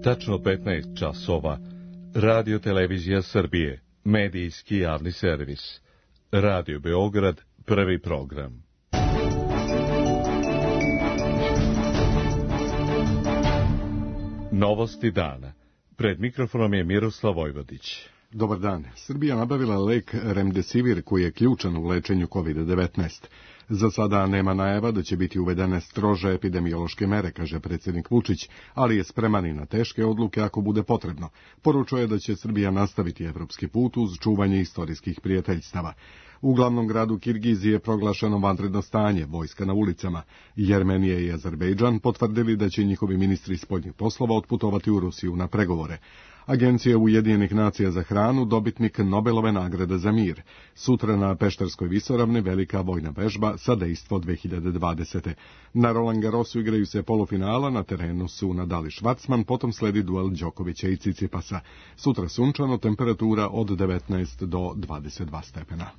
Tačno 15 časova. Radio Televizija Srbije. Medijski javni servis. Radio Beograd. Prvi program. Novosti dana. Pred mikrofonom je Miroslav Vojvodić. Dobar dan. Srbija nabavila lek Remdesivir koji je ključan u lečenju COVID-19. Za sada nema najava da će biti uvedene strože epidemiološke mere, kaže predsjednik Vučić, ali je spreman i na teške odluke ako bude potrebno. Poručuje da će Srbija nastaviti evropski put uz čuvanje istorijskih prijateljstava. U glavnom gradu Kirgizije je proglašeno vanredno stanje, vojska na ulicama. Jermenija i Azerbejdžan potvrdili da će njihovi ministri spoljnih poslova otputovati u Rusiju na pregovore. Agencija Ujedinjenih nacija za hranu, dobitnik Nobelove nagrade za mir. Sutra na Pešterskoj visoravni velika vojna vežba sa dejstvo 2020. Na Roland Garrosu igraju se polufinala, na terenu su Nadal i Švarcman, potom sledi duel Đokovića i Cicipasa. Sutra sunčano, temperatura od 19 do 22 stepena.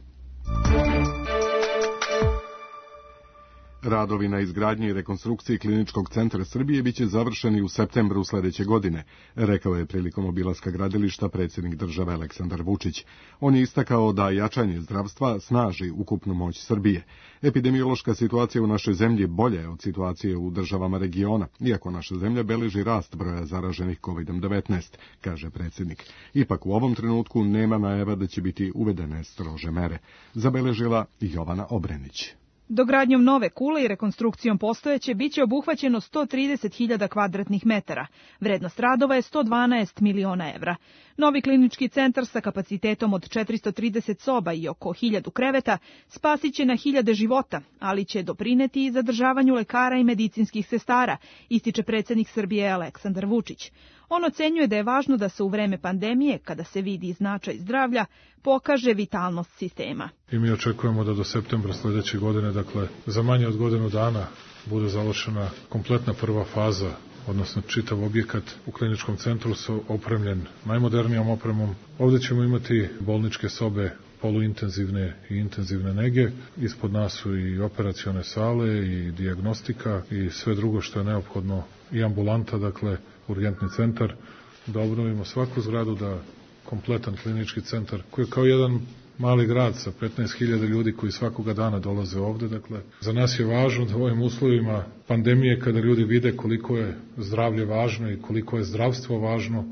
Radovi na izgradnji i rekonstrukciji Kliničkog centra Srbije biće završeni u septembru sledeće godine, rekao je prilikom obilaska gradilišta predsjednik države Aleksandar Vučić. On je istakao da jačanje zdravstva snaži ukupnu moć Srbije. Epidemiološka situacija u našoj zemlji bolja je od situacije u državama regiona, iako naša zemlja beleži rast broja zaraženih COVID-19, kaže predsjednik. Ipak u ovom trenutku nema najava da će biti uvedene strože mere, zabeležila Jovana Obrenić. Dogradnjom nove kule i rekonstrukcijom postojeće biće obuhvaćeno 130.000 kvadratnih metara. Vrednost radova je 112 miliona evra. Novi klinički centar sa kapacitetom od 430 soba i oko 1000 kreveta spasiće na hiljade života, ali će doprineti i zadržavanju lekara i medicinskih sestara, ističe predsjednik Srbije Aleksandar Vučić. On ocenjuje da je važno da se u vreme pandemije, kada se vidi značaj zdravlja, pokaže vitalnost sistema. I mi očekujemo da do septembra sledeće godine, dakle za manje od godinu dana, bude završena kompletna prva faza, odnosno čitav objekat u kliničkom centru su opremljen najmodernijom opremom. Ovdje ćemo imati bolničke sobe poluintenzivne i intenzivne nege. Ispod nas su i operacione sale i dijagnostika i sve drugo što je neophodno i ambulanta, dakle urgentni centar, da obnovimo svaku zgradu, da kompletan klinički centar koji je kao jedan mali grad sa 15.000 ljudi koji svakoga dana dolaze ovde. Dakle, za nas je važno da u ovim uslovima pandemije, kada ljudi vide koliko je zdravlje važno i koliko je zdravstvo važno,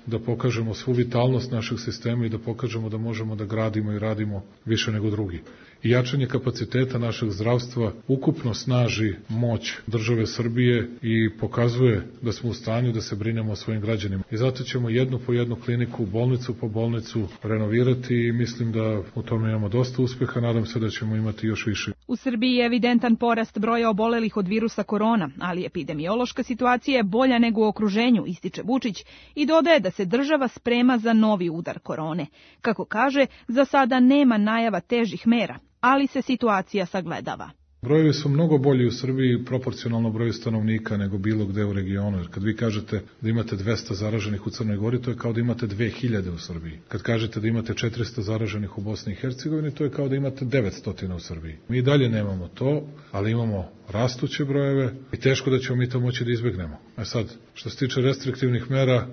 da pokažemo svu vitalnost našeg sistema i da pokažemo da možemo da gradimo i radimo više nego drugi. I jačanje kapaciteta našeg zdravstva ukupno snaži moć države Srbije i pokazuje da smo u stanju da se brinemo o svojim građanima. I zato ćemo jednu po jednu kliniku, bolnicu po bolnicu renovirati i mislim da u tome imamo dosta uspeha, nadam se da ćemo imati još više. U Srbiji je evidentan porast broja obolelih od virusa korona, ali epidemiološka situacija je bolja nego u okruženju, ističe Vučić i dodaje da se država sprema za novi udar korone. Kako kaže, za sada nema najava težih mera, ali se situacija sagledava. Brojevi su mnogo bolji u Srbiji proporcionalno broju stanovnika nego bilo gde u regionu. Jer kad vi kažete da imate 200 zaraženih u Crnoj Gori, to je kao da imate 2000 u Srbiji. Kad kažete da imate 400 zaraženih u Bosni i Hercegovini, to je kao da imate 900 u Srbiji. Mi i dalje nemamo to, ali imamo rastuće brojeve i teško da ćemo mi to moći da izbegnemo. A sad, što se tiče restriktivnih mera,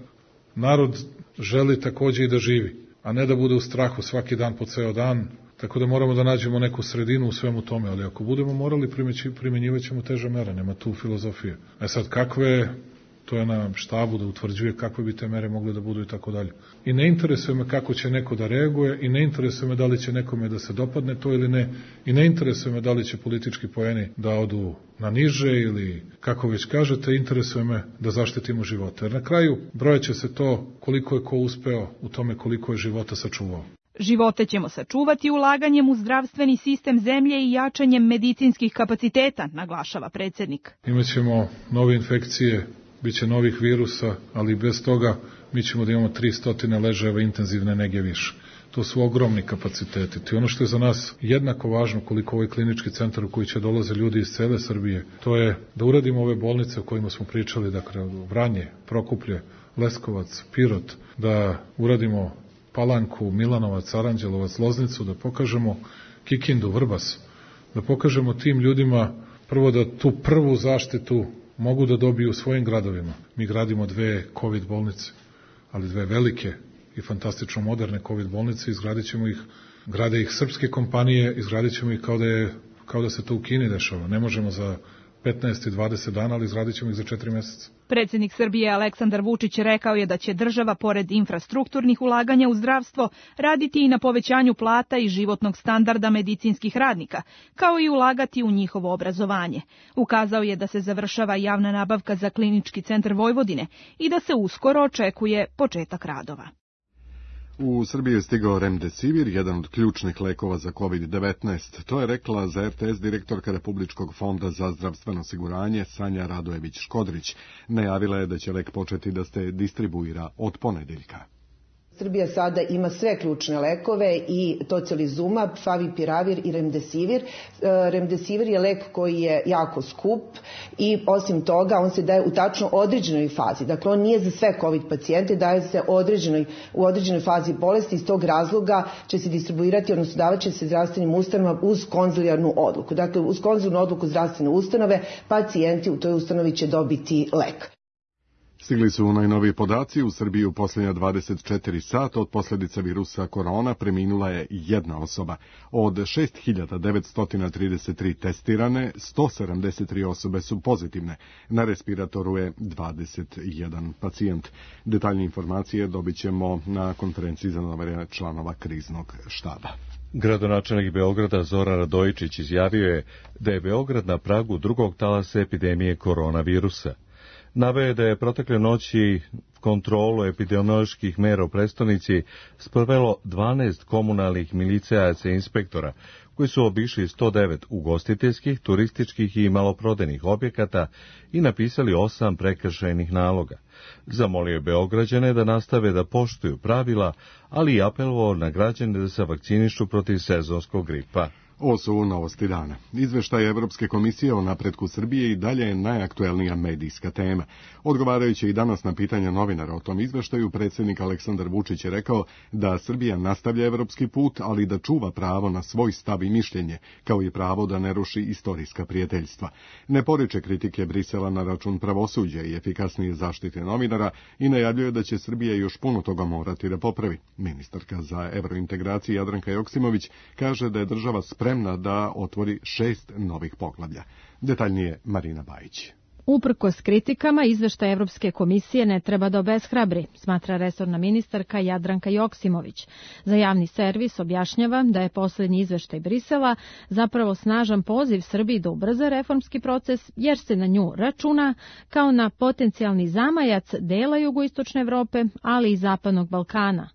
narod želi takođe i da živi, a ne da bude u strahu svaki dan po ceo dan. Tako da moramo da nađemo neku sredinu u svemu tome, ali ako budemo morali primjenjivat ćemo teže mere, nema tu filozofije. A sad kakve, to je na štabu da utvrđuje kakve bi te mere mogle da budu i tako dalje. I ne interesuje me kako će neko da reaguje i ne interesuje me da li će nekome da se dopadne to ili ne i ne interesuje me da li će politički poeni da odu na niže ili kako već kažete, interesuje me da zaštitimo živote. Jer na kraju brojeće se to koliko je ko uspeo u tome koliko je života sačuvao. Živote ćemo sačuvati ulaganjem u zdravstveni sistem zemlje i jačanjem medicinskih kapaciteta, naglašava predsjednik. Imaćemo nove infekcije, biće novih virusa, ali bez toga mi ćemo da imamo 300 ležajeva intenzivne nege više. To su ogromni kapaciteti. To je ono što je za nas jednako važno koliko ovaj klinički centar u koji će dolaze ljudi iz cele Srbije. To je da uradimo ove bolnice o kojima smo pričali, dakle Vranje, Prokuplje, Leskovac, Pirot, da uradimo Palanku, Milanovac, Aranđelovac, Loznicu, da pokažemo Kikindu, Vrbas, da pokažemo tim ljudima prvo da tu prvu zaštitu mogu da dobiju u svojim gradovima. Mi gradimo 2 COVID bolnice, ali 2 velike i fantastično moderne COVID bolnice, izgradit ćemo ih, grade ih srpske kompanije, izgradit ćemo ih kao da se to u Kini dešava. Ne možemo za 15 i 20 dana, ali izgradit ćemo ih za 4 mjeseca. Predsjednik Srbije Aleksandar Vučić rekao je da će država, pored infrastrukturnih ulaganja u zdravstvo, raditi i na povećanju plata i životnog standarda medicinskih radnika, kao i ulagati u njihovo obrazovanje. Ukazao je da se završava javna nabavka za Klinički centar Vojvodine i da se uskoro očekuje početak radova. U Srbiji je stigao Remdesivir, jedan od ključnih lekova za COVID-19. To je rekla za RTS direktorka Republičkog fonda za zdravstveno osiguranje Sanja Radojević-Škodrić. Najavila je da će lek početi da se distribuira od ponedeljka. Srbija sada ima sve ključne lekove i tocilizumab, favipiravir i remdesivir. Remdesivir je lek koji je jako skup i osim toga on se daje u tačno određenoj fazi. Dakle, on nije za sve COVID pacijente, daje se u određenoj fazi bolesti. Iz tog razloga će se distribuirati, odnosno davat će se zdravstvenim ustanovama uz konzilijarnu odluku. Dakle, uz konzilijarnu odluku zdravstvene ustanove pacijenti u toj ustanovi će dobiti lek. Stigli su najnoviji podaci. U Srbiji u posljednja 24 sata od posljedica virusa korona preminula je jedna osoba. Od 6.933 testirane, 173 osobe su pozitivne. Na respiratoru je 21 pacijent. Detaljne informacije dobit ćemo na konferenciji za novinare članova kriznog štaba. Gradonačelnik Beograda Zoran Radojičić izjavio je da je Beograd na pragu drugog talasa epidemije koronavirusa. Naveo je da je protekle noći kontrolu epidemioloških mera u prestonici sprovelo 12 komunalnih milicajaca i inspektora, koji su obišli 109 ugostiteljskih, turističkih i maloprodajnih objekata i napisali 8 prekršajnih naloga. Zamolio je Beograđane da nastave da poštuju pravila, ali i apelovao na građane da se vakcinišu protiv sezonskog gripa. Ovo su novosti dana. Izveštaj Evropske komisije o napretku Srbije i dalje je najaktuelnija medijska tema. Odgovarajući i danas na pitanja novinara o tom izveštaju, predsjednik Aleksandar Vučić je rekao da Srbija nastavlja evropski put, ali da čuva pravo na svoj stav i mišljenje, kao i pravo da ne ruši istorijska prijateljstva. Ne poriče kritike Brisela na račun pravosuđa i efikasnije zaštite novinara i najavljuje da će Srbija još puno toga morati da popravi. Ministarka za evrointegraciju Jadranka Joksimović kaže da je država spremna da otvori 6 novih poglavlja. Detaljnije Marina Bajić. Uprkos kritikama, izveštaj Evropske komisije ne treba da obeshrabri, smatra resorna ministarka Jadranka Joksimović. Za javni servis objašnjava da je posljednji izveštaj Brisela zapravo snažan poziv Srbiji da ubrza reformski proces, jer se na nju računa kao na potencijalni zamajac dela jugoistočne Evrope, ali i zapadnog Balkana.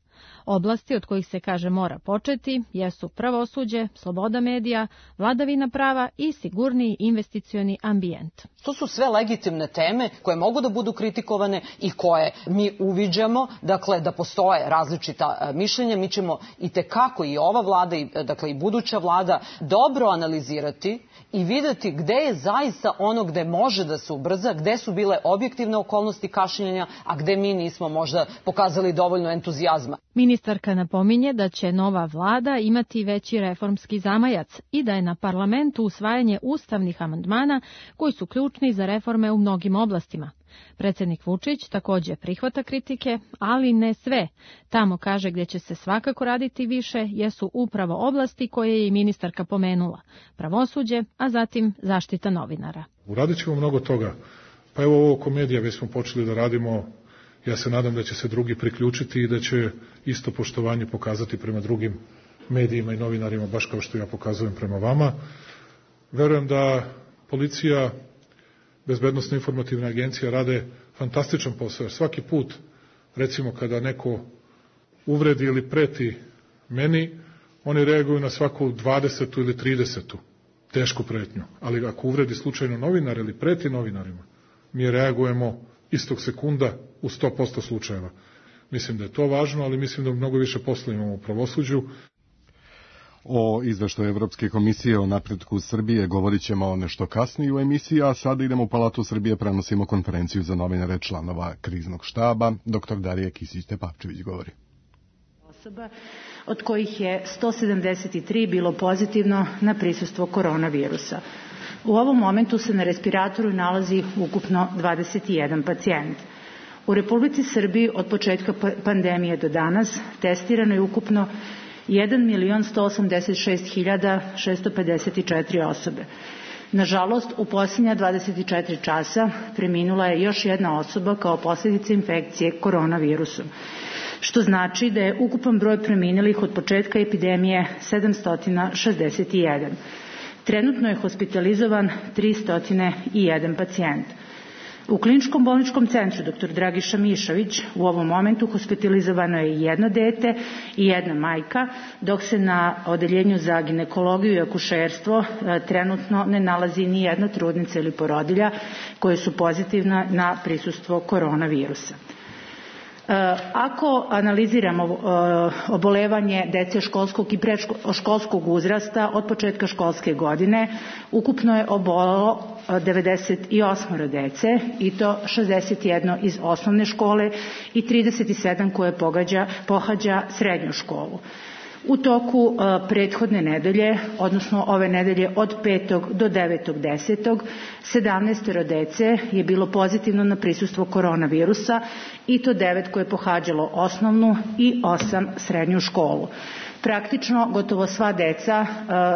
Oblasti od kojih se kaže mora početi jesu pravosuđe, sloboda medija, vladavina prava i sigurniji investicioni ambijent. To su sve legitimne teme koje mogu da budu kritikovane i koje mi uviđamo, dakle da postoje različita mišljenja. Mi ćemo itekako i ova vlada, dakle i buduća vlada, dobro analizirati i videti gde je zaista ono gde može da se ubrza, gde su bile objektivne okolnosti kašnjenja, a gde mi nismo možda pokazali dovoljno entuzijazma. Ministarka napominje da će nova vlada imati veći reformski zamajac i da je na parlamentu usvajanje ustavnih amandmana koji su ključni za reforme u mnogim oblastima. Predsjednik Vučić također prihvata kritike, ali ne sve. Tamo kaže gdje će se svakako raditi više jesu upravo oblasti koje je i ministarka pomenula. Pravosuđe, a zatim zaštita novinara. Uradit ćemo mnogo toga. Pa evo ovo komedija, već smo počeli da radimo. Ja se nadam da će se drugi priključiti i da će isto poštovanje pokazati prema drugim medijima i novinarima, baš kao što ja pokazujem prema vama. Verujem da policija, bezbednosna informativna agencija rade fantastičan posao. Svaki put, recimo kada neko uvredi ili preti meni, oni reaguju na svaku 20. ili 30. tešku pretnju. Ali ako uvredi slučajno novinar ili preti novinarima, mi reagujemo istog sekunda u 100% slučajeva. Mislim da je to važno, ali mislim da mnogo više posla imamo u pravosuđu. O izveštaju Evropske komisije o napretku Srbije govorit ćemo nešto kasnije u emisiji, a sada idemo u Palatu Srbije, prenosimo konferenciju za novinare članova kriznog štaba. Dr. Darija Kisić-Tepavčević govori. Osoba, od kojih je 173 bilo pozitivno na prisustvo koronavirusa. U ovom momentu se na respiratoru nalazi ukupno 21 pacijent. U Republici Srbiji od početka pandemije do danas testirano je ukupno 1.186.654 osobe. Nažalost, u posljednja 24 časa preminula je još jedna osoba kao posljedica infekcije koronavirusom, što znači da je ukupan broj preminulih od početka epidemije 761. Trenutno je hospitalizovan 301 pacijent. U Kliničkom bolničkom centru dr. Dragiša Mišović u ovom momentu hospitalizovano je jedno dete i jedna majka, dok se na odeljenju za ginekologiju i akušerstvo trenutno ne nalazi ni jedna trudnica ili porodilja koje su pozitivna na prisustvo koronavirusa. Ako analiziramo obolevanje dece školskog i predškolskog uzrasta od početka školske godine, ukupno je obolelo 98 dece i to 61 iz osnovne škole i 37 koje pohađa srednju školu. U toku prethodne nedelje, odnosno ove nedelje od 5. do 9.10. 17 dece je bilo pozitivno na prisustvo koronavirusa i to 9 koje je pohađalo osnovnu i 8 srednju školu. Praktično gotovo sva deca,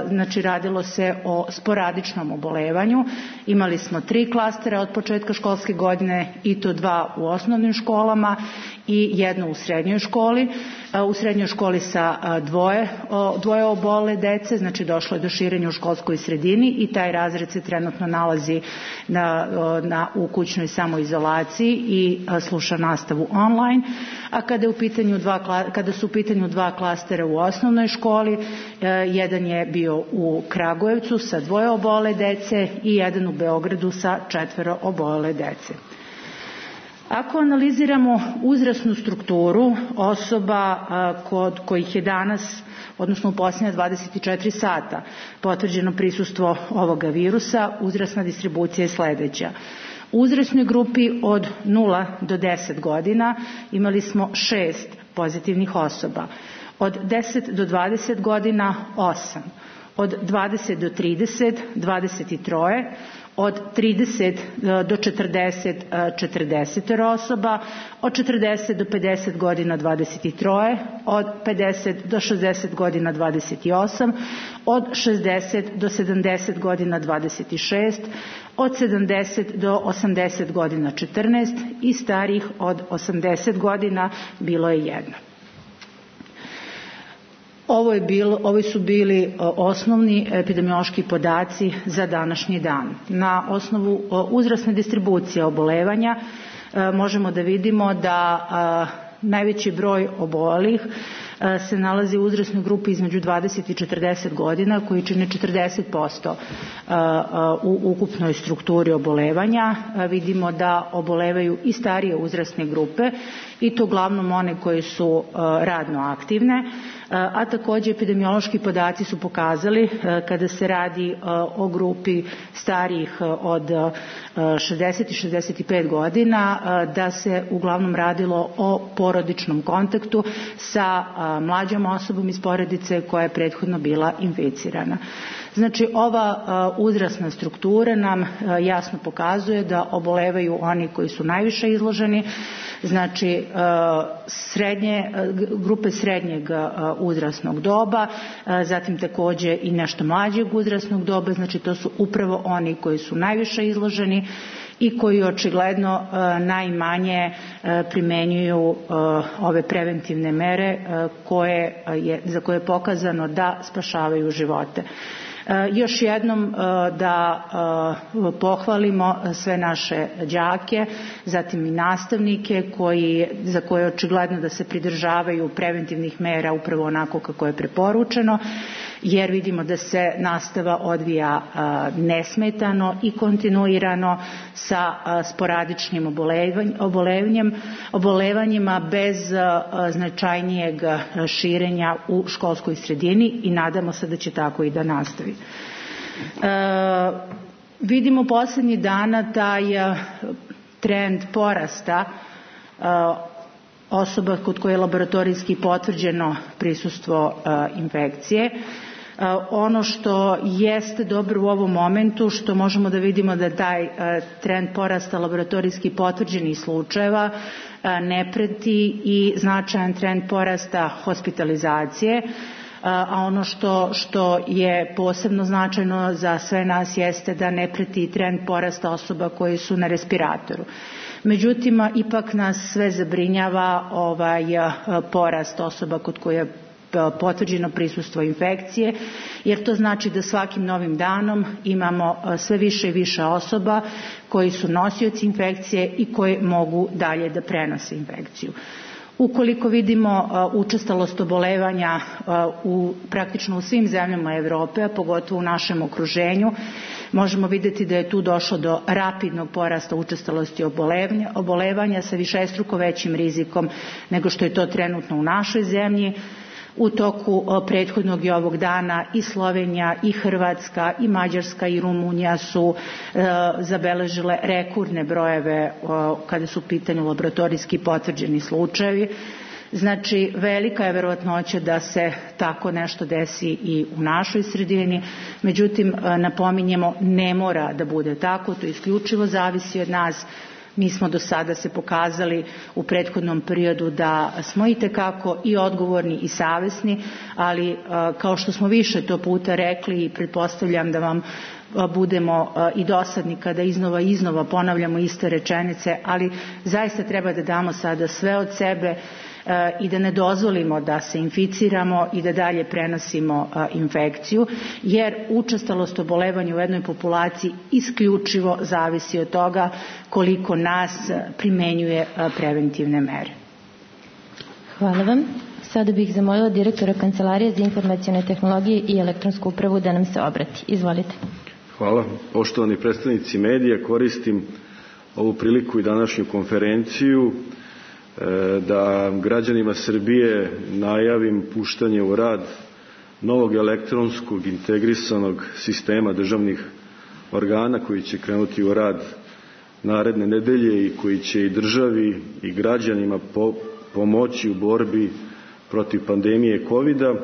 znači radilo se o sporadičnom obolevanju. Imali smo 3 klastera od početka školske godine i to 2 u osnovnim školama i 1 u srednjoj školi. U srednjoj školi sa dvoje obole dece, znači došlo je do širenja u školskoj sredini i taj razred se trenutno nalazi u kućnoj samoizolaciji i sluša nastavu online. A kada su u pitanju 2 klastera u osnovnoj školi, jedan je bio u Kragujevcu sa 2 obole dece i jedan u Beogradu sa 4 obole dece. Ako analiziramo uzrasnu strukturu osoba kod kojih je danas, odnosno u posljednja 24 sata, potvrđeno prisustvo ovoga virusa, uzrasna distribucija je sledeća. U uzrasnoj grupi od 0 do 10 godina imali smo 6 pozitivnih osoba. Od 10 do 20 godina 8. Od 20 do 30 23. Od 30 do 40 40 osoba, od 40 do 50 godina 23, od 50 do 60 godina 28, od 60 do 70 godina 26, od 70 do 80 godina 14 i starih od 80 godina bilo je 1. Ovi su bili osnovni epidemiološki podaci za današnji dan. Na osnovu uzrasne distribucije obolevanja možemo da vidimo da najveći broj obolelih se nalazi u uzrasnoj grupi između 20 i 40 godina koji čine 40% u ukupnoj strukturi obolevanja. Vidimo da obolevaju i starije uzrasne grupe i to uglavnom one koje su radno aktivne, a također epidemiološki podaci su pokazali kada se radi o grupi starijih od 60 i 65 godina da se uglavnom radilo o porodičnom kontaktu sa mlađom osobom iz porodice koja je prethodno bila inficirana. Znači, ova uzrasna struktura nam jasno pokazuje da obolevaju oni koji su najviše izloženi, znači grupe srednjeg uzrasnog doba, zatim također i nešto mlađeg uzrasnog doba, znači to su upravo oni koji su najviše izloženi i koji očigledno najmanje primenjuju ove preventivne mere za koje je pokazano da spašavaju živote. Još jednom da pohvalimo sve naše đake, zatim i nastavnike za koje je očigledno da se pridržavaju preventivnih mera upravo onako kako je preporučeno, jer vidimo da se nastava odvija nesmetano i kontinuirano sa sporadičnim obolevanjima bez značajnijeg širenja u školskoj sredini i nadamo se da će tako i da nastavi. Vidimo posljednjih dana taj trend porasta osoba kod koje je laboratorijski potvrđeno prisustvo infekcije. Ono što jeste dobro u ovom momentu, što možemo da vidimo da taj trend porasta laboratorijski potvrđenih slučajeva ne preti i značajan trend porasta hospitalizacije, a ono što je posebno značajno za sve nas jeste da ne preti trend porasta osoba koji su na respiratoru. Međutim, ipak nas sve zabrinjava porast osoba kod koje je potvrđeno prisustvo infekcije, jer to znači da svakim novim danom imamo sve više i više osoba koji su nosioci infekcije i koji mogu dalje da prenose infekciju. Ukoliko vidimo učestalost obolevanja praktično u svim zemljama Evrope, a pogotovo u našem okruženju, možemo vidjeti da je tu došlo do rapidnog porasta učestalosti obolevanja sa višestruko većim rizikom nego što je to trenutno u našoj zemlji. U toku prethodnog i ovog dana i Slovenija, i Hrvatska, i Mađarska, i Rumunija su zabeležile rekordne brojeve kada su u pitanju laboratorijski potvrđeni slučajevi. Znači, velika je verovatnoća da se tako nešto desi i u našoj sredini, međutim, napominjemo, ne mora da bude tako, to isključivo zavisi od nas. Mi smo do sada se pokazali u prethodnom periodu da smo itekako i odgovorni i savesni, ali kao što smo više to puta rekli i pretpostavljam da vam budemo i dosadni kada iznova ponavljamo iste rečenice, ali zaista treba da damo sada sve od sebe i da ne dozvolimo da se inficiramo i da dalje prenosimo infekciju, jer učestalost obolevanja u jednoj populaciji isključivo zavisi od toga koliko nas primenjuje preventivne mere. Hvala vam. Sada bih zamolila direktora Kancelarije za informacione tehnologije i elektronsku upravu da nam se obrati. Izvolite. Hvala. Poštovani predstavnici medija, koristim ovu priliku i današnju konferenciju da građanima Srbije najavim puštanje u rad novog elektronskog integrisanog sistema državnih organa koji će krenuti u rad naredne nedelje i koji će i državi i građanima pomoći u borbi protiv pandemije COVID-a,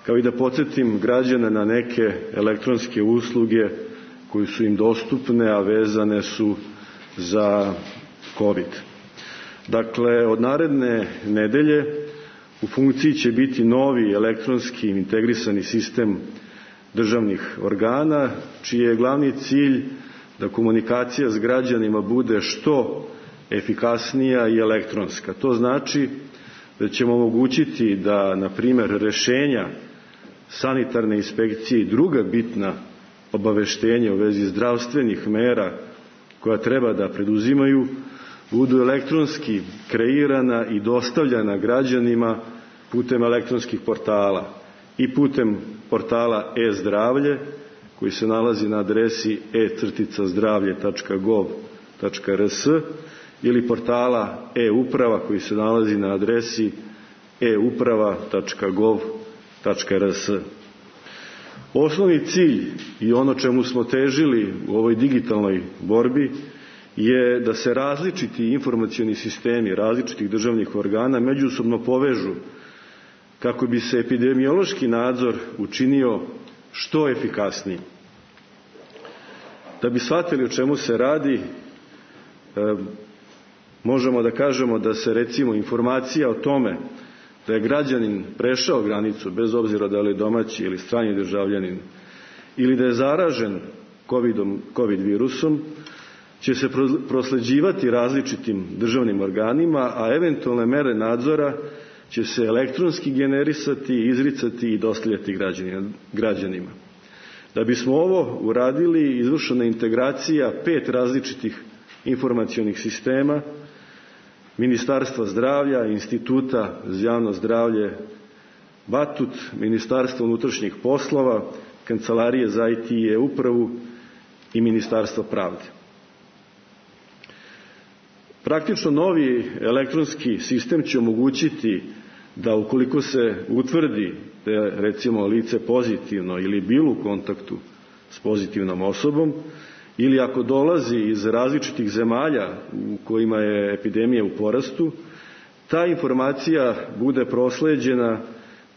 kao i da podsjetim građane na neke elektronske usluge koje su im dostupne, a vezane su za COVID. Dakle, od naredne nedelje u funkciji će biti novi elektronski integrisani sistem državnih organa, čiji je glavni cilj da komunikacija s građanima bude što efikasnija i elektronska. To znači da ćemo omogućiti da, na primjer, rešenja sanitarne inspekcije i druga bitna obaveštenja u vezi zdravstvenih mera koja treba da preduzimaju budu elektronski kreirana i dostavljana građanima putem elektronskih portala i putem portala e-zdravlje koji se nalazi na adresi e-zdravlje.gov.rs ili portala e-uprava koji se nalazi na adresi e-uprava.gov.rs. Osnovni cilj i ono čemu smo težili u ovoj digitalnoj borbi je da se različiti informacioni sistemi različitih državnih organa međusobno povežu kako bi se epidemiološki nadzor učinio što efikasniji. Da bi shvatili o čemu se radi, možemo da kažemo da se recimo informacija o tome da je građanin prešao granicu, bez obzira da li je domaći ili strani državljanin, ili da je zaražen COVID virusom, će se prosleđivati različitim državnim organima, a eventualne mere nadzora će se elektronski generisati, izricati i dostavljati građanima. Da bismo ovo uradili, izvršena je integracija 5 različitih informacionih sistema, Ministarstva zdravlja, Instituta za javno zdravlje Batut, Ministarstva unutrašnjih poslova, Kancelarije za IT i e-upravu i Ministarstva pravde. Praktično novi elektronski sistem će omogućiti da ukoliko se utvrdi da je recimo lice pozitivno ili bilo u kontaktu s pozitivnom osobom ili ako dolazi iz različitih zemalja u kojima je epidemija u porastu, ta informacija bude prosleđena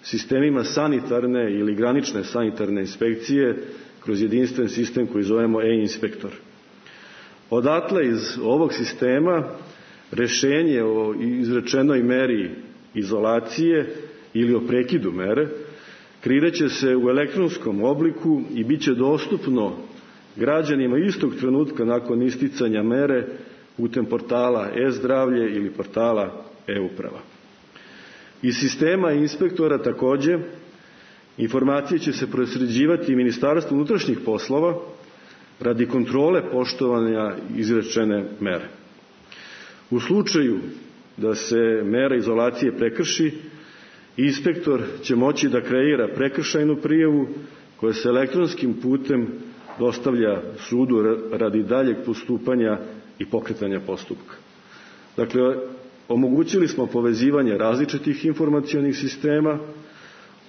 sistemima sanitarne ili granične sanitarne inspekcije kroz jedinstven sistem koji zovemo e-inspektor. Odatle iz ovog sistema rešenje o izrečenoj meri izolacije ili o prekidu mere kreirat se u elektronskom obliku i bit će dostupno građanima istog trenutka nakon isticanja mere putem portala e-zdravlje ili portala e-uprava. Iz sistema inspektora takođe informacije će se prosleđivati Ministarstvu unutrašnjih poslova radi kontrole poštovanja izrečene mere. U slučaju da se mera izolacije prekrši, inspektor će moći da kreira prekršajnu prijavu koja se elektronskim putem dostavlja sudu radi daljeg postupanja i pokretanja postupka. Dakle, omogućili smo povezivanje različitih informacionih sistema,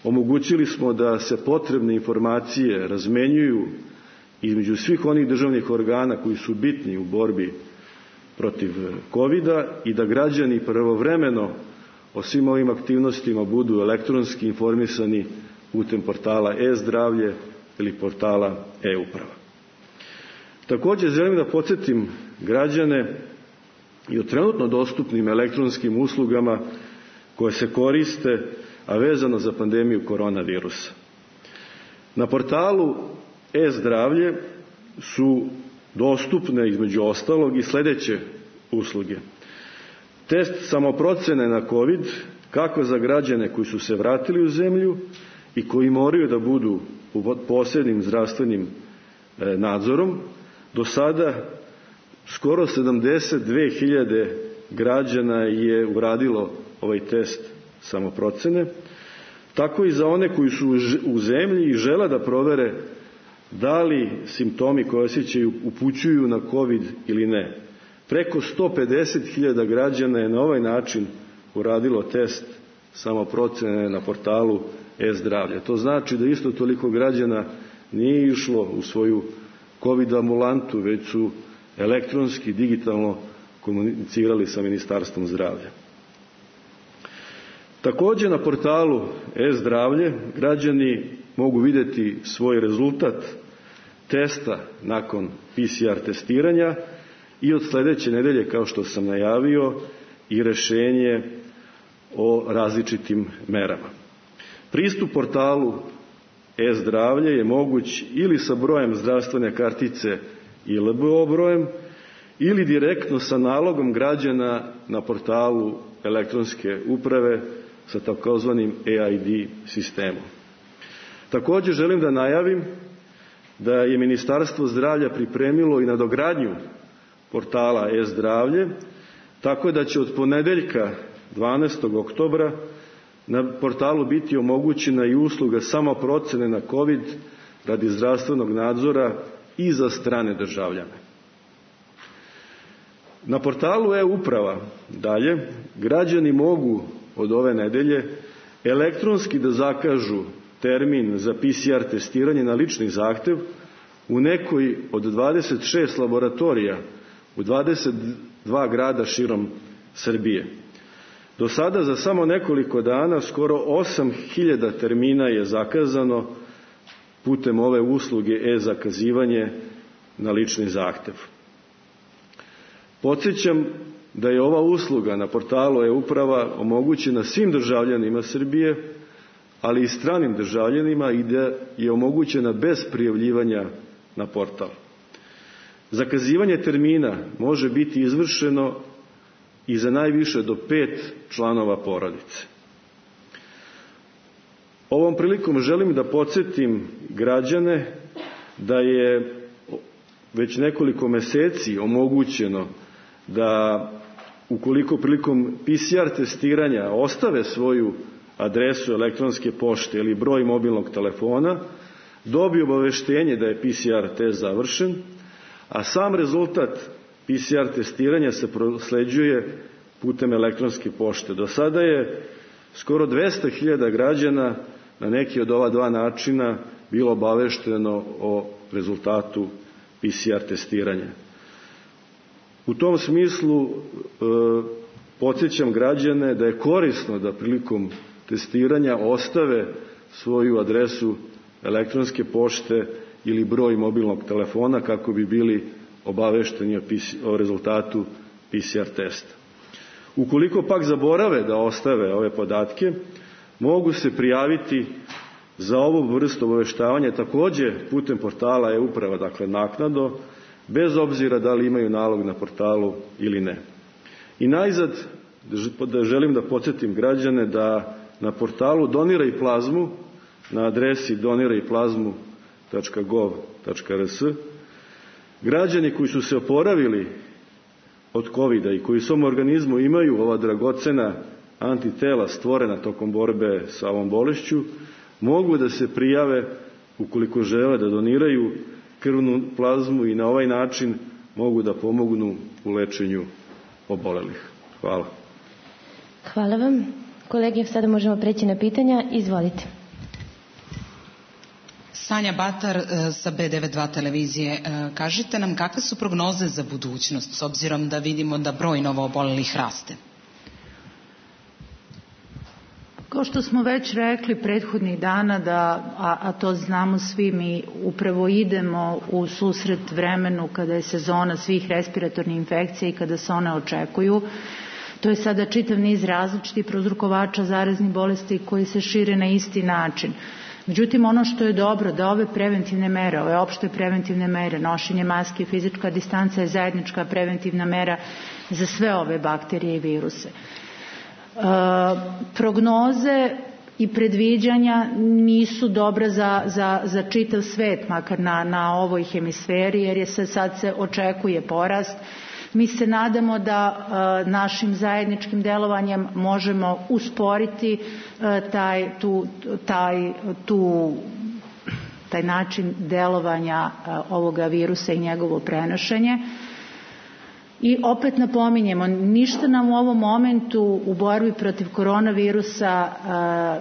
omogućili smo da se potrebne informacije razmenjuju između svih onih državnih organa koji su bitni u borbi protiv COVID-a i da građani pravovremeno o svim ovim aktivnostima budu elektronski informisani putem portala e-zdravlje ili portala e-uprava. Takođe želim da podsjetim građane i o trenutno dostupnim elektronskim uslugama koje se koriste, a vezano za pandemiju koronavirusa. Na portalu e-zdravlje su dostupne između ostalog i sledeće usluge. Test samoprocene na COVID, kako za građane koji su se vratili u zemlju i koji moraju da budu pod posebnim zdravstvenim nadzorom. Do sada skoro 72.000 građana je uradilo ovaj test samoprocene, tako i za one koji su u zemlji i žele da provere da li simptomi koje osjećaju upućuju na COVID ili ne. Preko 150.000 građana je na ovaj način uradilo test samoprocene na portalu e-zdravlje. To znači da isto toliko građana nije išlo u svoju COVID ambulantu, već su elektronski, digitalno komunicirali sa Ministarstvom zdravlja. Takođe na portalu e-zdravlje građani mogu videti svoj rezultat testa nakon PCR testiranja i od sledeće nedelje, kao što sam najavio, i rešenje o različitim merama. Pristup portalu e-zdravlje je moguć ili sa brojem zdravstvene kartice i LBO brojem, ili direktno sa nalogom građana na portalu elektronske uprave sa takozvanim EID sistemom. Takođe želim da najavim da je Ministarstvo zdravlja pripremilo i nadogradnju portala e-zdravlje, tako da će od ponedeljka 12. oktobra na portalu biti omogućena i usluga samoprocene na COVID radi zdravstvenog nadzora i za strane državljane. Na portalu e-uprava dalje građani mogu od ove nedelje elektronski da zakažu termin za PCR testiranje na lični zahtev u nekoj od 26 laboratorija u 22 grada širom Srbije. Do sada za samo nekoliko dana skoro 8.000 termina je zakazano putem ove usluge e-zakazivanje na lični zahtev. Podsjećam da je ova usluga na portalu e-uprava omogućena svim državljanima Srbije, ali i stranim državljanima i da je omogućena bez prijavljivanja na portal. Zakazivanje termina može biti izvršeno i za najviše do 5 članova porodice. Ovom prilikom želim da podsjetim građane da je već nekoliko meseci omogućeno da ukoliko prilikom PCR testiranja ostave svoju adresu elektronske pošte ili broj mobilnog telefona, dobiju obaveštenje da je PCR test završen, a sam rezultat PCR testiranja se prosleđuje putem elektronske pošte. Do sada je skoro 200.000 građana na neki od ova dva načina bilo obavešteno o rezultatu PCR testiranja. U tom smislu podsjećam građane da je korisno da prilikom testiranja ostave svoju adresu elektronske pošte ili broj mobilnog telefona kako bi bili obavešteni o rezultatu PCR testa. Ukoliko pak zaborave da ostave ove podatke, mogu se prijaviti za ovu vrstu obaveštavanja takođe putem portala e-uprava, dakle naknadno, bez obzira da li imaju nalog na portalu ili ne. I najzad želim da podsjetim građane da na portalu Doniraj plazmu, na adresi donirajplazmu.gov.rs, građani koji su se oporavili od COVID-a i koji u svom organizmu imaju ova dragocena antitela stvorena tokom borbe sa ovom bolešću, mogu da se prijave ukoliko žele da doniraju krvnu plazmu i na ovaj način mogu da pomognu u lečenju obolelih. Hvala. Hvala vam. Kolege, sada možemo preći na pitanja. Izvolite. Sanja Batar sa B92 televizije. Kažite nam kakve su prognoze za budućnost, s obzirom da vidimo da broj novoobolelih raste? Kao što smo već rekli prethodnih dana, a to znamo svi, mi upravo idemo u susret vremenu kada je sezona svih respiratornih infekcija i kada se one očekuju. To je sada čitav niz različitih prouzrokovača zaraznih bolesti koji se šire na isti način. Međutim, ono što je dobro da ove preventivne mere, ove opšte preventivne mere, nošenje maske, fizička distanca je zajednička preventivna mera za sve ove bakterije i viruse. Prognoze i predviđanja nisu dobra za čitav svet, makar na ovoj hemisferi, jer sad se očekuje porast. Mi se nadamo da našim zajedničkim delovanjem možemo usporiti taj način delovanja ovoga virusa i njegovo prenošenje. I opet napominjemo, ništa nam u ovom momentu u borbi protiv koronavirusa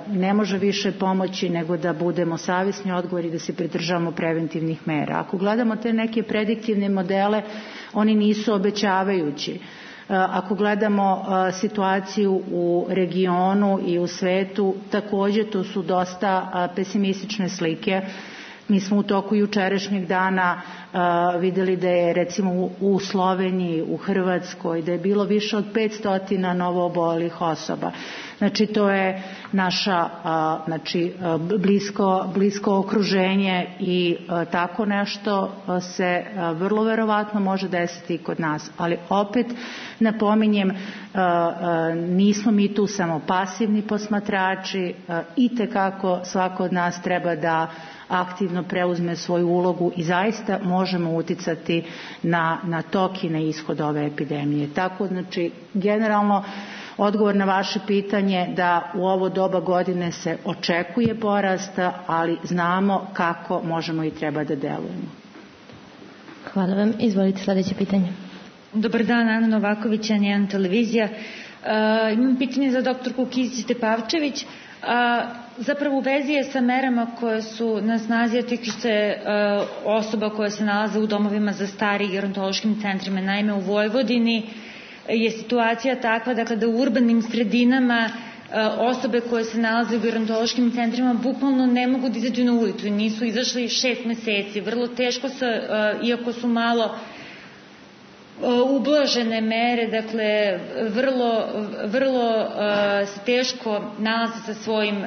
ne može više pomoći nego da budemo savjesni, odgovorni, da se pridržavamo preventivnih mera. Ako gledamo te neke prediktivne modele, oni nisu obećavajući. Ako gledamo situaciju u regionu i u svetu, također to su dosta pesimistične slike. Mi smo u toku jučerašnjeg dana vidjeli da je recimo u Sloveniji, u Hrvatskoj, da je bilo više od 500 novoobolelih osoba. Znači to je naša blisko okruženje i tako nešto se vrlo verovatno može desiti i kod nas. Ali opet napominjem, nismo mi tu samo pasivni posmatrači, itekako svako od nas treba da aktivno preuzme svoju ulogu i zaista možemo uticati na tok i na ishod ove epidemije. Tako, znači, generalno odgovor na vaše pitanje da u ovo doba godine se očekuje porast, ali znamo kako možemo i treba da delujemo. Hvala vam. Izvolite sljedeće pitanje. Dobar dan, Ana Novaković, N1 televizija. Imam pitanje za doktorku Kisić Tepavčević. Zapravo u vezi je sa merama koje su na snazi, a tiču se osoba koje se nalaze u domovima za stari i gerontološkim centrima. Naime, u Vojvodini je situacija takva, dakle, da u urbanim sredinama osobe koje se nalaze u gerontološkim centrima bukvalno ne mogu da izađu na ulicu i nisu izašli 6 meseci. Vrlo teško se, iako su malo ublažene mere, dakle vrlo se teško nalaze sa svojim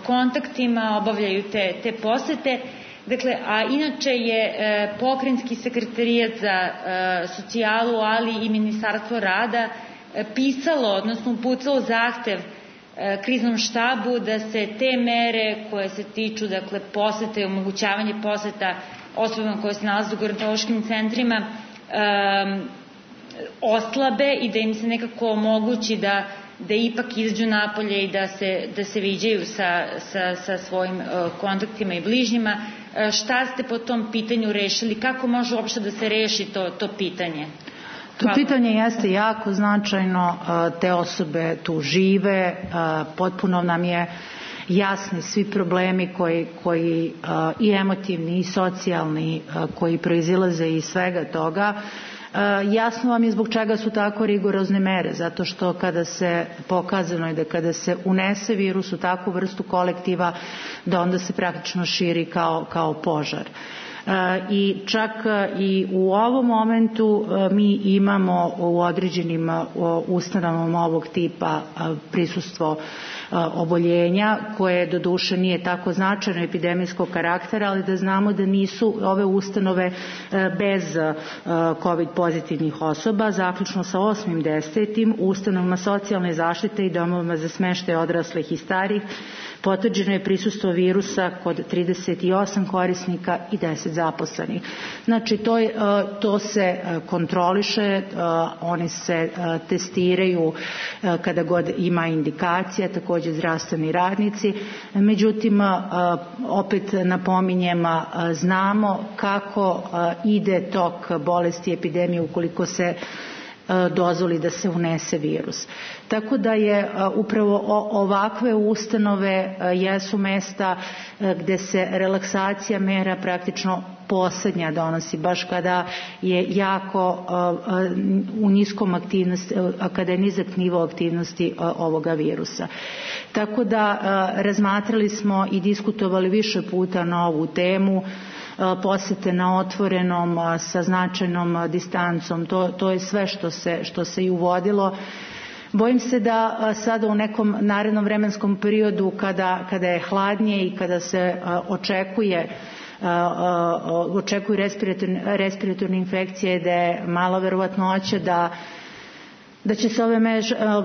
kontaktima, obavljaju te posete. Dakle, a inače je Pokrajinski sekretarijat za socijalu, ali i Ministarstvo rada pisalo, odnosno uputilo zahtev kriznom štabu da se te mere koje se tiču, dakle, posete i omogućavanje poseta osobama koje se nalaze u gerontološkim centrima oslabe i da im se nekako omogući da ipak izađu napolje i da se viđaju sa svojim kontaktima i bližnjima. Šta ste po tom pitanju rešili? Kako može uopšte da se reši to pitanje? To pitanje jeste jako značajno, te osobe tu žive, potpuno nam je jasni svi problemi koji i emotivni i socijalni koji proizilaze iz svega toga. Jasno vam je zbog čega su tako rigorozne mere, zato što pokazano je da kada se unese virus u takvu vrstu kolektiva, da onda se praktično širi kao požar. I čak i u ovom momentu mi imamo u određenim ustanovama ovog tipa prisustvo oboljenja koje doduše nije tako značajno epidemijskog karaktera, ali da znamo da nisu ove ustanove bez COVID pozitivnih osoba, zaključno sa 8.10. u ustanovama socijalne zaštite i domovima za smeštaj odraslih i starih potvrđeno je prisustvo virusa kod 38 korisnika i 10 zaposlenih. Znači to se kontroliše, oni se testiraju kada god ima indikacija, također zdravstveni radnici. Međutim, opet napominjem, znamo kako ide tok bolesti epidemije ukoliko se dozvoli da se unese virus. Tako da je upravo ovakve ustanove jesu mesta gde se relaksacija mera praktično posljednja donosi, baš kada je jako u niskom aktivnosti, kada je nizak nivo aktivnosti ovoga virusa. Tako da razmatrali smo i diskutovali više puta na ovu temu, posete na otvorenom sa značajnom distancom, to je sve što se i uvodilo. Bojim se da sada u nekom narednom vremenskom periodu kada je hladnije i kada se očekuju respiratorne infekcije, da je mala verovatnoća da će se ove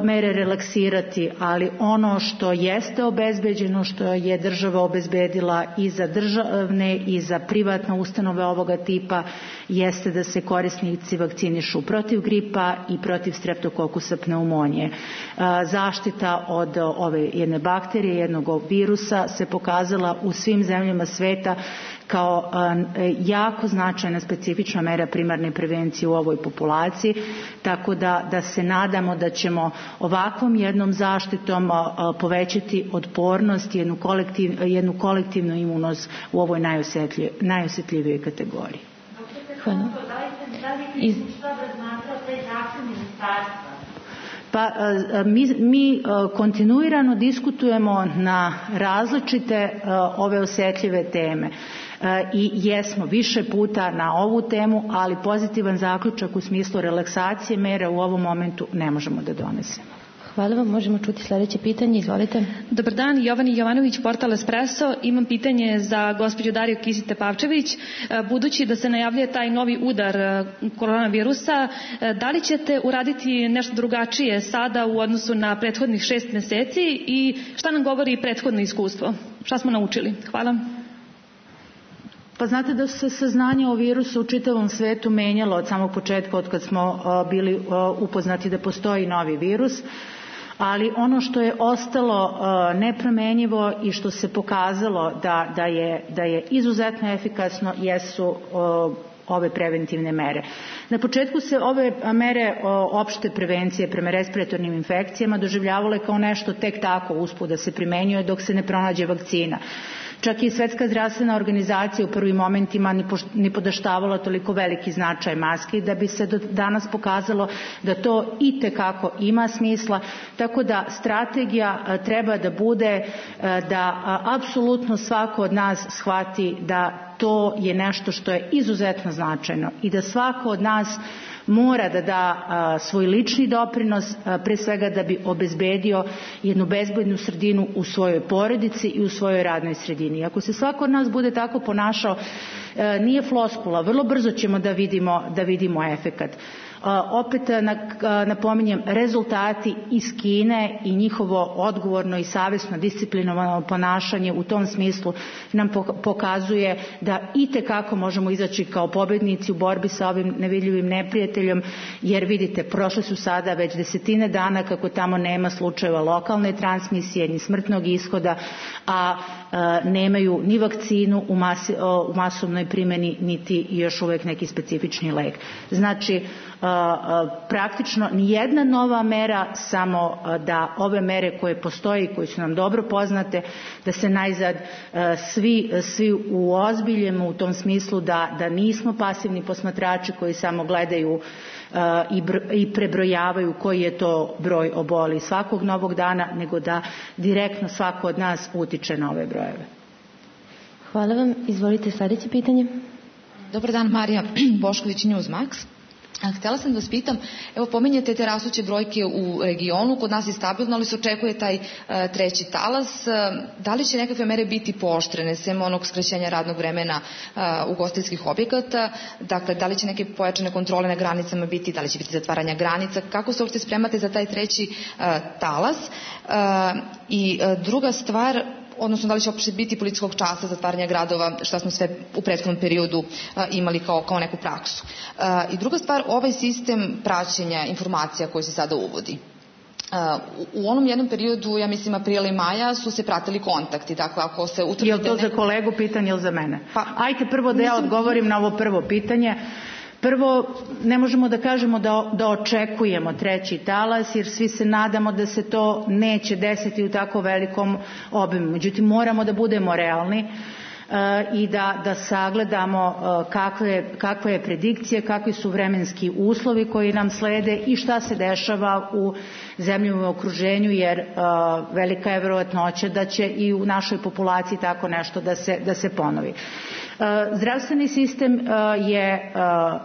mere relaksirati, ali ono što jeste obezbeđeno, što je država obezbedila i za državne i za privatne ustanove ovoga tipa, jeste da se korisnici vakcinišu protiv gripa i protiv streptokokusa pneumonije. Zaštita od ove jedne bakterije, jednog virusa se pokazala u svim zemljama sveta kao jako značajna specifična mera primarne prevencije u ovoj populaciji, tako da se nadamo da ćemo ovakvom jednom zaštitom povećati otpornost i jednu kolektivnu imunost u ovoj najosjetljivijoj kategoriji. Hvala. Da li šta razmatrao taj zakon ministarstva? Pa mi kontinuirano diskutujemo na različite ove osjetljive teme. I jesmo više puta na ovu temu, ali pozitivan zaključak u smislu relaksacije mera u ovom momentu ne možemo da donesemo. Hvala vam, možemo čuti sljedeće pitanje, izvolite. Dobar dan, Jovani Jovanović, portal Espresso. Imam pitanje za gospođu Dariju Kisić-Tepavčević. Budući da se najavljuje taj novi udar koronavirusa, da li ćete uraditi nešto drugačije sada u odnosu na prethodnih 6 meseci i šta nam govori prethodno iskustvo? Šta smo naučili? Hvala. Pa znate da se saznanje o virusu u čitavom svetu menjalo od samog početka, od kad smo bili upoznati da postoji novi virus, ali ono što je ostalo nepromenjivo i što se pokazalo da je izuzetno efikasno jesu ove preventivne mere. Na početku se ove mere opšte prevencije prema respiratornim infekcijama doživljavale kao nešto tek tako usput da se primenjuje dok se ne pronađe vakcina. Čak i Svetska zdravstvena organizacija u prvim momentima ni podaštavala toliko veliki značaj maski, da bi se do danas pokazalo da to itekako ima smisla, tako da strategija treba da bude da apsolutno svako od nas shvati da to je nešto što je izuzetno značajno i da svako od nas mora da da svoj lični doprinos, pre svega da bi obezbedio jednu bezbednu sredinu u svojoj porodici i u svojoj radnoj sredini. Ako se svako od nas bude tako ponašao, nije floskula, vrlo brzo ćemo da vidimo efekat. Opet napominjem, rezultati iz Kine i njihovo odgovorno i savjesno disciplinovano ponašanje u tom smislu nam pokazuje da itekako možemo izaći kao pobednici u borbi sa ovim nevidljivim neprijateljom, jer vidite, prošle su sada već 10 dana kako tamo nema slučajeva lokalne transmisije ni smrtnog ishoda, a nemaju ni vakcinu u masovnoj primjeni niti još uvijek neki specifični lek. Znači, praktično nijedna nova mera, samo da ove mere koje postoje i koje su nam dobro poznate, da se najzad svi uozbiljimo u tom smislu da nismo pasivni posmatrači koji samo gledaju i prebrojavaju koji je to broj oboli svakog novog dana, nego da direktno svako od nas utiče na ove brojeve. Hvala vam. Izvolite sljedeće pitanje. Dobar dan, Marija Bošković, Newsmax. Htjela sam da vas pitam, evo pominjete te rastuće brojke u regionu, kod nas je stabilno, ali se očekuje taj treći talas. Da li će nekakve mere biti pooštrene, sem onog skraćenja radnog vremena ugostiteljskih objekata? Dakle, da li će neke pojačane kontrole na granicama biti, da li će biti zatvaranja granica? Kako se uopšte spremate za taj treći talas? I druga stvar, odnosno da li će uopšte biti policijskog časa, zatvaranja gradova, šta smo sve u prethodnom periodu imali kao neku praksu. I druga stvar, ovaj sistem praćenja informacija koji se sada uvodi. U onom jednom periodu, ja mislim aprila i maja, su se pratili kontakti. Dakle, ako se utvrdi... Je li to za kolegu pitanje ili za mene? Ajde prvo da ja odgovorim na ovo prvo pitanje. Prvo, ne možemo da kažemo da očekujemo treći talas, jer svi se nadamo da se to neće desiti u tako velikom obimu. Međutim, moramo da budemo realni i da sagledamo kakva je predikcija, kakvi su vremenski uslovi koji nam slede i šta se dešava u zemljama u okruženju, jer velika je vjerovatnoća da će i u našoj populaciji tako nešto da se ponovi. Zdravstveni sistem je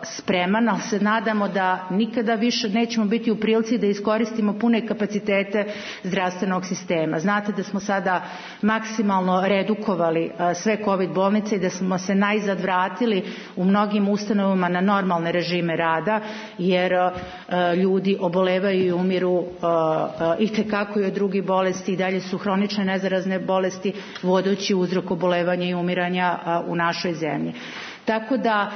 spreman, ali se nadamo da nikada više nećemo biti u prilici da iskoristimo pune kapacitete zdravstvenog sistema. Znate da smo sada maksimalno redukovali sve COVID bolnice i da smo se najzad vratili u mnogim ustanovama na normalne režime rada, jer ljudi obolevaju i umiru itekako i od drugih bolesti, i dalje su hronične nezarazne bolesti vodeći uzrok obolevanja i umiranja u našoj zemlji. Tako da,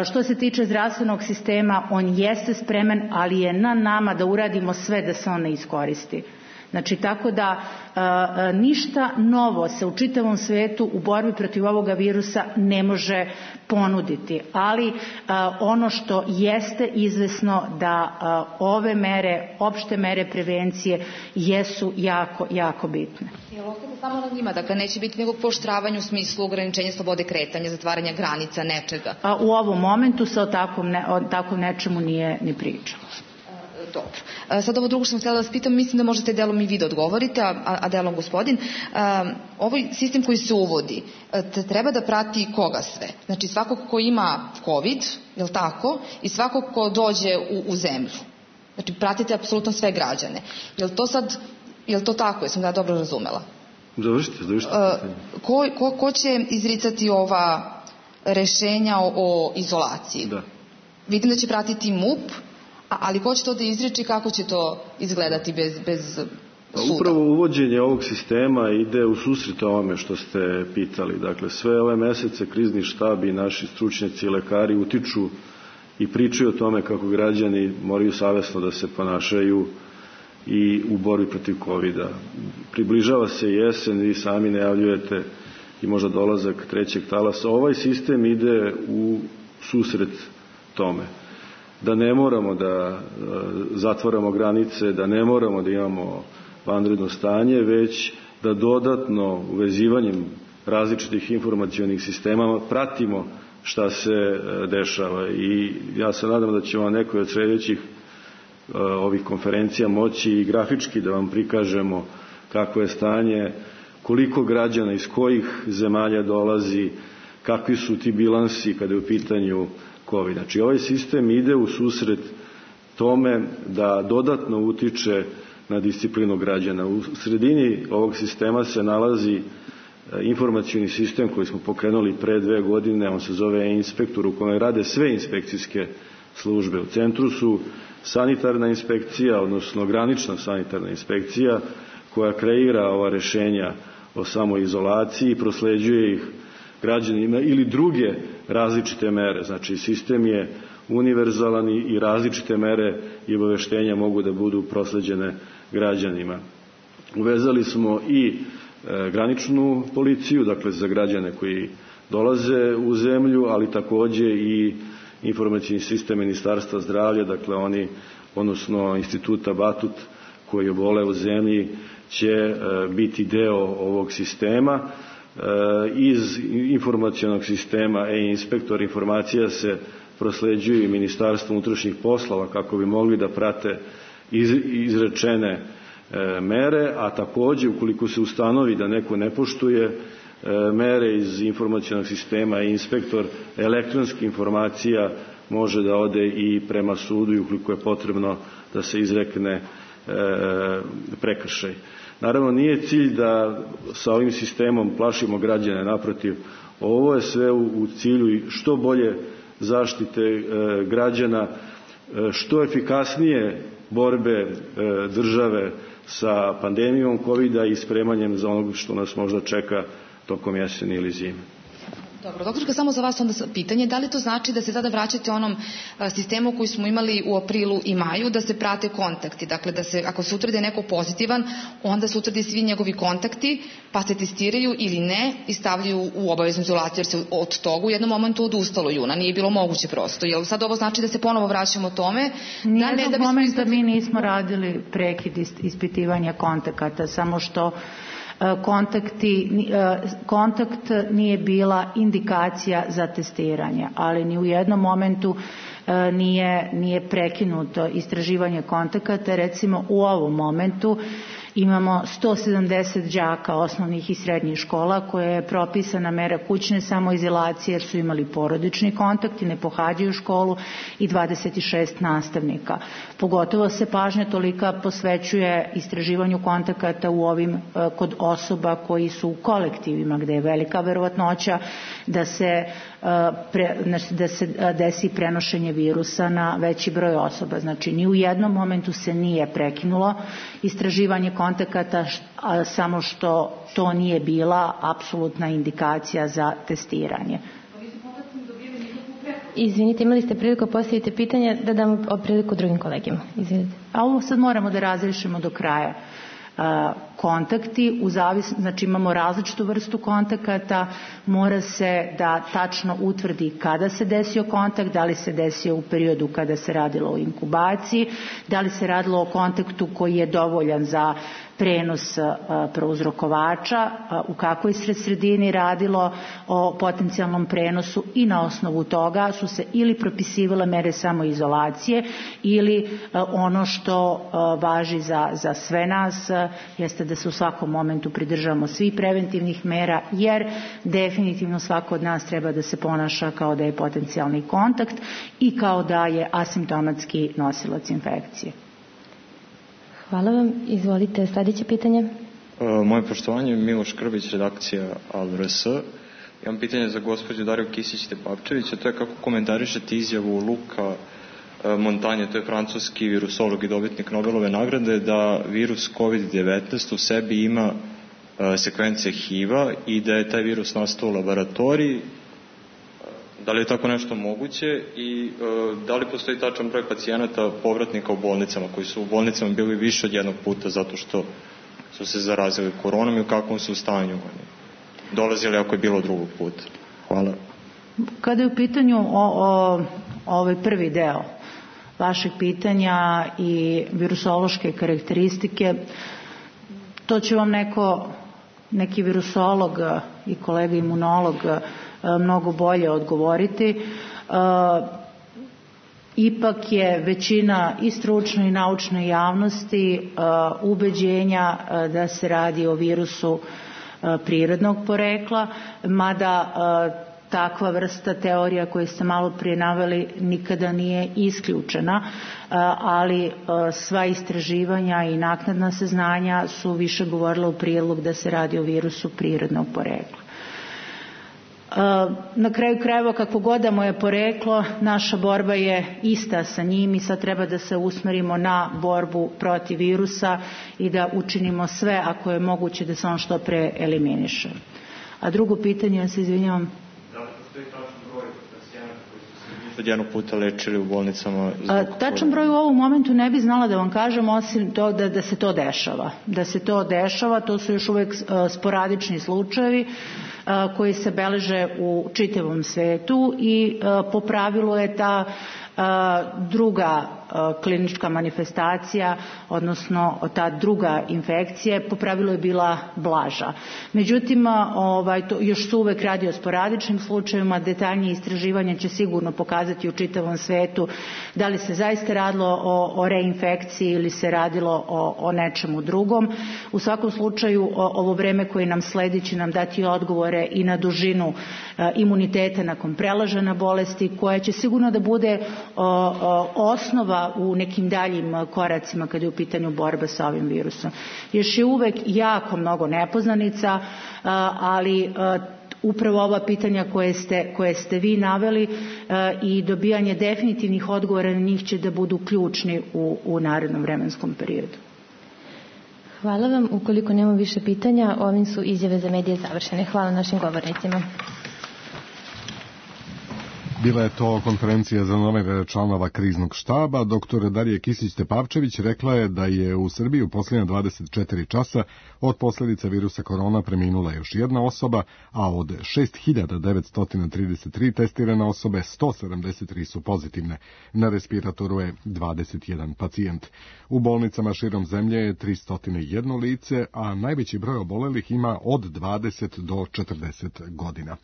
što se tiče zdravstvenog sistema, on jeste spreman, ali je na nama da uradimo sve da se on ne iskoristi. Znači, tako da ništa novo se u čitavom svetu u borbi protiv ovoga virusa ne može ponuditi, ali ono što jeste izvesno da ove mere, opšte mere prevencije jesu jako, jako bitne. Jel ostaje samo na njima, dakle neće biti nekog pooštravanja u smislu ograničenja slobode kretanja, zatvaranja granica, nečega? U ovom momentu se o takvom nečemu nije ni pričalo. Dobro. Sad ovo drugo što sam htjela da vas pitam, mislim da možete delom i vi da odgovorite, a delom gospodin. Ovaj sistem koji se uvodi treba da prati koga sve? Znači svakog ko ima COVID, je li tako? I svakog ko dođe u zemlju. Znači pratite apsolutno sve građane. Je li to tako? Jesam da dobro razumela? Završite. Ko će izricati ova rešenja o izolaciji? Da. Vidim da će pratiti MUP, ali ko će to da izriči, kako će to izgledati bez suda? Upravo uvođenje ovog sistema ide u susret ovome što ste pitali. Dakle, sve ove mesece krizni štab i naši stručnjaci i lekari utiču i pričaju o tome kako građani moraju savesno da se ponašaju i u borbi protiv COVID-a. Približava se jesen, vi sami najavljujete i možda dolazak trećeg talasa. Ovaj sistem ide u susret tome. Da ne moramo da zatvaramo granice, da ne moramo da imamo vanredno stanje, već da dodatno uvezivanjem različitih informacionih sistema pratimo šta se dešava. I ja se nadam da ćemo na nekoj od sljedećih ovih konferencija moći i grafički da vam prikažemo kakvo je stanje, koliko građana iz kojih zemalja dolazi, kakvi su ti bilansi kada je u pitanju COVID. Znači, ovaj sistem ide u susret tome da dodatno utiče na disciplinu građana. U sredini ovog sistema se nalazi informacioni sistem koji smo pokrenuli pre 2 godine, on se zove e-inspektor, u kome rade sve inspekcijske službe. U centru su sanitarna inspekcija, odnosno granična sanitarna inspekcija, koja kreira ova rešenja o samoizolaciji i prosleđuje ih građanima ili druge različite mere. Znači, sistem je univerzalan i različite mere i obaveštenja mogu da budu prosleđene građanima. Uvezali smo i graničnu policiju, dakle za građane koji dolaze u zemlju, ali takođe i informacijni sistem Ministarstva zdravlja, dakle oni, odnosno Instituta Batut koji obole u zemlji, će biti deo ovog sistema. Iz informacionog sistema e-inspektor informacija se prosleđuju i Ministarstvu unutrašnjih poslova kako bi mogli da prate izrečene mere, a takođe ukoliko se ustanovi da neko ne poštuje mere iz informacionog sistema e-inspektor, elektronskih informacija može da ode i prema sudu i ukoliko je potrebno da se izrekne prekršaj. Naravno, nije cilj da sa ovim sistemom plašimo građane, naprotiv, ovo je sve u cilju što bolje zaštite građana, što efikasnije borbe države sa pandemijom COVID-a i spremanjem za onog što nas možda čeka tokom jeseni ili zime. Dobro, doktorka, samo za vas onda pitanje, da li to znači da se sada vraćate onom sistemu koji smo imali u aprilu i maju, da se prate kontakti, dakle da se, ako se utvrde neko pozitivan, onda se utvrde svi njegovi kontakti, pa se testiraju ili ne i stavljaju u obaveznu izolaciju, jer se od toga u jednom momentu odustalo juna, nije bilo moguće prosto. Jel sad ovo znači da se ponovo vraćamo tome? Nijednog momenta mi nismo radili prekid ispitivanja kontakata, samo što kontakt nije bila indikacija za testiranje, ali ni u jednom momentu nije prekinuto istraživanje kontakata. Recimo u ovom momentu imamo 170 đaka osnovnih i srednjih škola koje je propisana mera kućne samoizolacije jer su imali porodični kontakt i ne pohađaju školu, i 26 nastavnika. Pogotovo se pažnja tolika posvećuje istraživanju kontakata u ovim kod osoba koji su u kolektivima, gde je velika verovatnoća da se desi prenošenje virusa na veći broj osoba. Znači, ni u jednom momentu se nije prekinulo istraživanje kontakata, samo što to nije bila apsolutna indikacija za testiranje. Izvinite, imali ste priliku postaviti pitanje, da damo priliku drugim kolegima. Izvinite. A ovo sad moramo da razrešimo do kraja. Kontakti, znači imamo različitu vrstu kontakata, mora se da tačno utvrdi kada se desio kontakt, da li se desio u periodu kada se radilo o inkubaciji, da li se radilo o kontaktu koji je dovoljan za prenos prouzrokovača, u kakvoj sredini radilo o potencijalnom prenosu, i na osnovu toga su se ili propisivale mere samoizolacije ili ono što važi za sve nas jeste da se u svakom momentu pridržavamo svih preventivnih mera, jer definitivno svako od nas treba da se ponaša kao da je potencijalni kontakt i kao da je asimptomatski nosilac infekcije. Hvala vam. Izvolite, sljedeće pitanje. Moje poštovanje, Miloš Krbić, redakcija ALRS. Imam pitanje za gospođu Dariju Kisić-Tepavčević, a to je kako komentarišete izjavu Luka Montanje, to je francuski virusolog i dobitnik Nobelove nagrade, da virus COVID-19 u sebi ima sekvence HIV-a i da je taj virus nastao u laboratoriji. Da li je tako nešto moguće i da li postoji tačan broj pacijenata povratnika u bolnicama koji su u bolnicama bili više od jednog puta zato što su se zarazili koronom i u kakvom su stanju dolazili ako je bilo drugog puta? Hvala. Kada je u pitanju ovaj prvi deo vašeg pitanja i virusološke karakteristike, to će vam neki virusolog i kolega imunolog mnogo bolje odgovoriti. Ipak je većina i stručne i naučne javnosti ubeđenja da se radi o virusu prirodnog porekla, mada takva vrsta teorija koju ste malo prije naveli nikada nije isključena, ali sva istraživanja i naknadna saznanja su više govorila u prilog da se radi o virusu prirodnog porekla. Na kraju krajeva, kako god da mu je poreklo, naša borba je ista sa njim i sad treba da se usmerimo na borbu protiv virusa i da učinimo sve, ako je moguće, da se on što pre eliminiše. A drugo pitanje, ja se izvinjavam. Da li postoji tačan broj pacijenata koji su se više od jednog puta lečili u bolnicama? Tačan broj u ovom momentu ne bi znala da vam kažem, osim to da se to dešava. Da se to dešava, to su još uvek sporadični slučajevi. koji se beleže u čitavom svetu i po pravilu je ta druga klinička manifestacija, odnosno ta druga infekcija po pravilu je bila blaža. Međutim, to još se uvek radi o sporadičnim slučajevima, detaljnije istraživanje će sigurno pokazati u čitavom svetu da li se zaista radilo o reinfekciji ili se radilo o nečemu drugom. U svakom slučaju ovo vreme koje nam sledi će nam dati odgovore i na dužinu imuniteta nakon prelažena bolesti, koja će sigurno da bude osnova u nekim daljim koracima kada je u pitanju borba sa ovim virusom. Još je uvek jako mnogo nepoznanica, ali upravo ova pitanja koje ste vi naveli i dobijanje definitivnih odgovora na njih će da budu ključni u narednom vremenskom periodu. Hvala vam. Ukoliko nemamo više pitanja, ovim su izjave za medije završene. Hvala našim govornicima. Bila je to konferencija za nove članova kriznog štaba. Dr. Darija Kisić-Tepavčević rekla je da je u Srbiji u posljednja 24 časa od posljedica virusa korona preminula još jedna osoba, a od 6.933 testirane osobe 173 su pozitivne. Na respiratoru je 21 pacijent. U bolnicama širom zemlje je 301 lice, a najveći broj obolelih ima od 20 do 40 godina.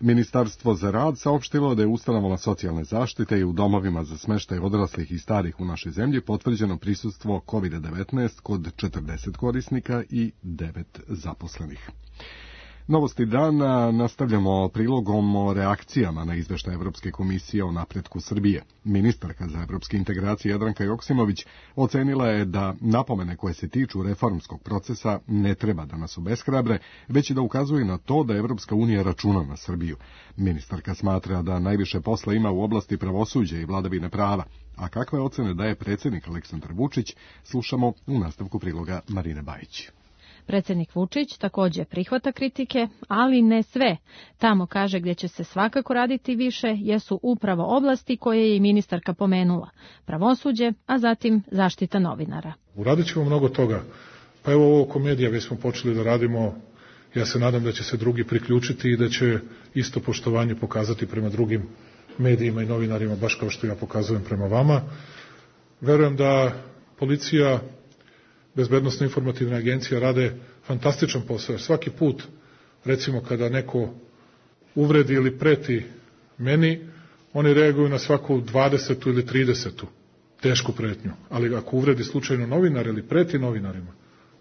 Ministarstvo za rad saopštilo da je ustanovama socijalne zaštite i u domovima za smještaj odraslih i starih u našoj zemlji potvrđeno prisustvo COVID-19 kod 40 korisnika i 9 zaposlenih. Novosti dana nastavljamo prilogom o reakcijama na izveštaj Evropske komisije o napretku Srbije. Ministarka za evropske integracije Jadranka Joksimović ocenila je da napomene koje se tiču reformskog procesa ne treba da nas obeshrabre, već i da ukazuje na to da Evropska unija računa na Srbiju. Ministarka smatra da najviše posla ima u oblasti pravosuđa i vladavine prava. A kakve ocene daje predsjednik Aleksandar Vučić, slušamo u nastavku priloga Marine Bajić. Predsjednik Vučić također prihvata kritike, ali ne sve. Tamo kaže gdje će se svakako raditi više jesu upravo oblasti koje je i ministarka pomenula. Pravosuđe, a zatim zaštita novinara. Uradit ćemo mnogo toga. Pa evo ovo oko medija već smo počeli da radimo. Ja se nadam da će se drugi priključiti i da će isto poštovanje pokazati prema drugim medijima i novinarima, baš kao što ja pokazujem prema vama. Verujem da policija, bezbednosno informativna agencija rade fantastičan posao. Svaki put, recimo kada neko uvredi ili preti meni, oni reaguju na svaku 20. ili 30. tešku pretnju. Ali ako uvredi slučajno novinar ili preti novinarima,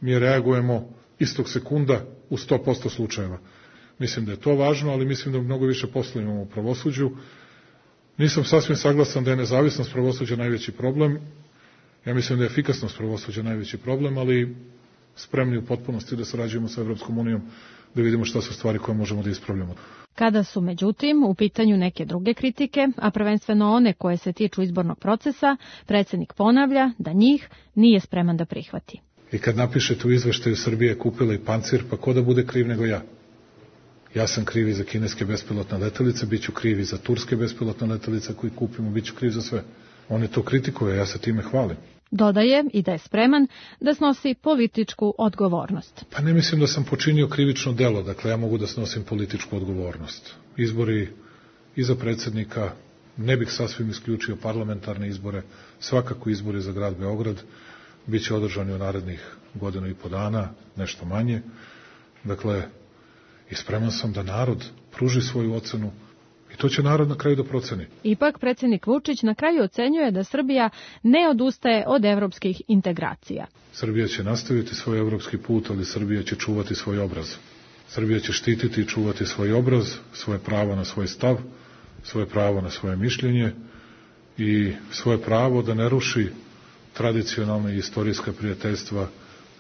mi reagujemo istog sekunda u 100% slučajeva. Mislim da je to važno, ali mislim da mnogo više posla imamo u pravosuđu. Nisam sasvim saglasan da je nezavisnost pravosuđa najveći problem. Ja mislim da je efikasnost pravosuđa najveći problem, ali spremni u potpunosti da sarađujemo sa Evropskom unijom, da vidimo šta su stvari koje možemo da ispravljamo. Kada su, međutim, u pitanju neke druge kritike, a prvenstveno one koje se tiču izbornog procesa, predsjednik ponavlja da njih nije spreman da prihvati. I kad napišete u izveštaju Srbije kupila i pancir, pa ko da bude kriv nego ja? Ja sam kriv i za kineske bespilotne letelice, bit ću kriv i za turske bespilotne letelice koji kupimo, bit ću kriv za sve. Oni to kritikuju, ja se time hvalim. Dodaje i da je spreman da snosi političku odgovornost. Pa ne mislim da sam počinio krivično delo, dakle ja mogu da snosim političku odgovornost. Izbori i za predsjednika, ne bih sasvim isključio parlamentarne izbore, svakako izbori za grad Beograd, bit će održani u narednih 1.5 dana, nešto manje. Dakle, i spreman sam da narod pruži svoju ocenu i to će narod na kraju da proceni. Ipak predsjednik Vučić na kraju ocenjuje da Srbija ne odustaje od evropskih integracija. Srbija će nastaviti svoj evropski put, ali Srbija će čuvati svoj obraz. Srbija će štititi i čuvati svoj obraz, svoje pravo na svoj stav, svoje pravo na svoje mišljenje i svoje pravo da ne ruši tradicionalne i istorijska prijateljstva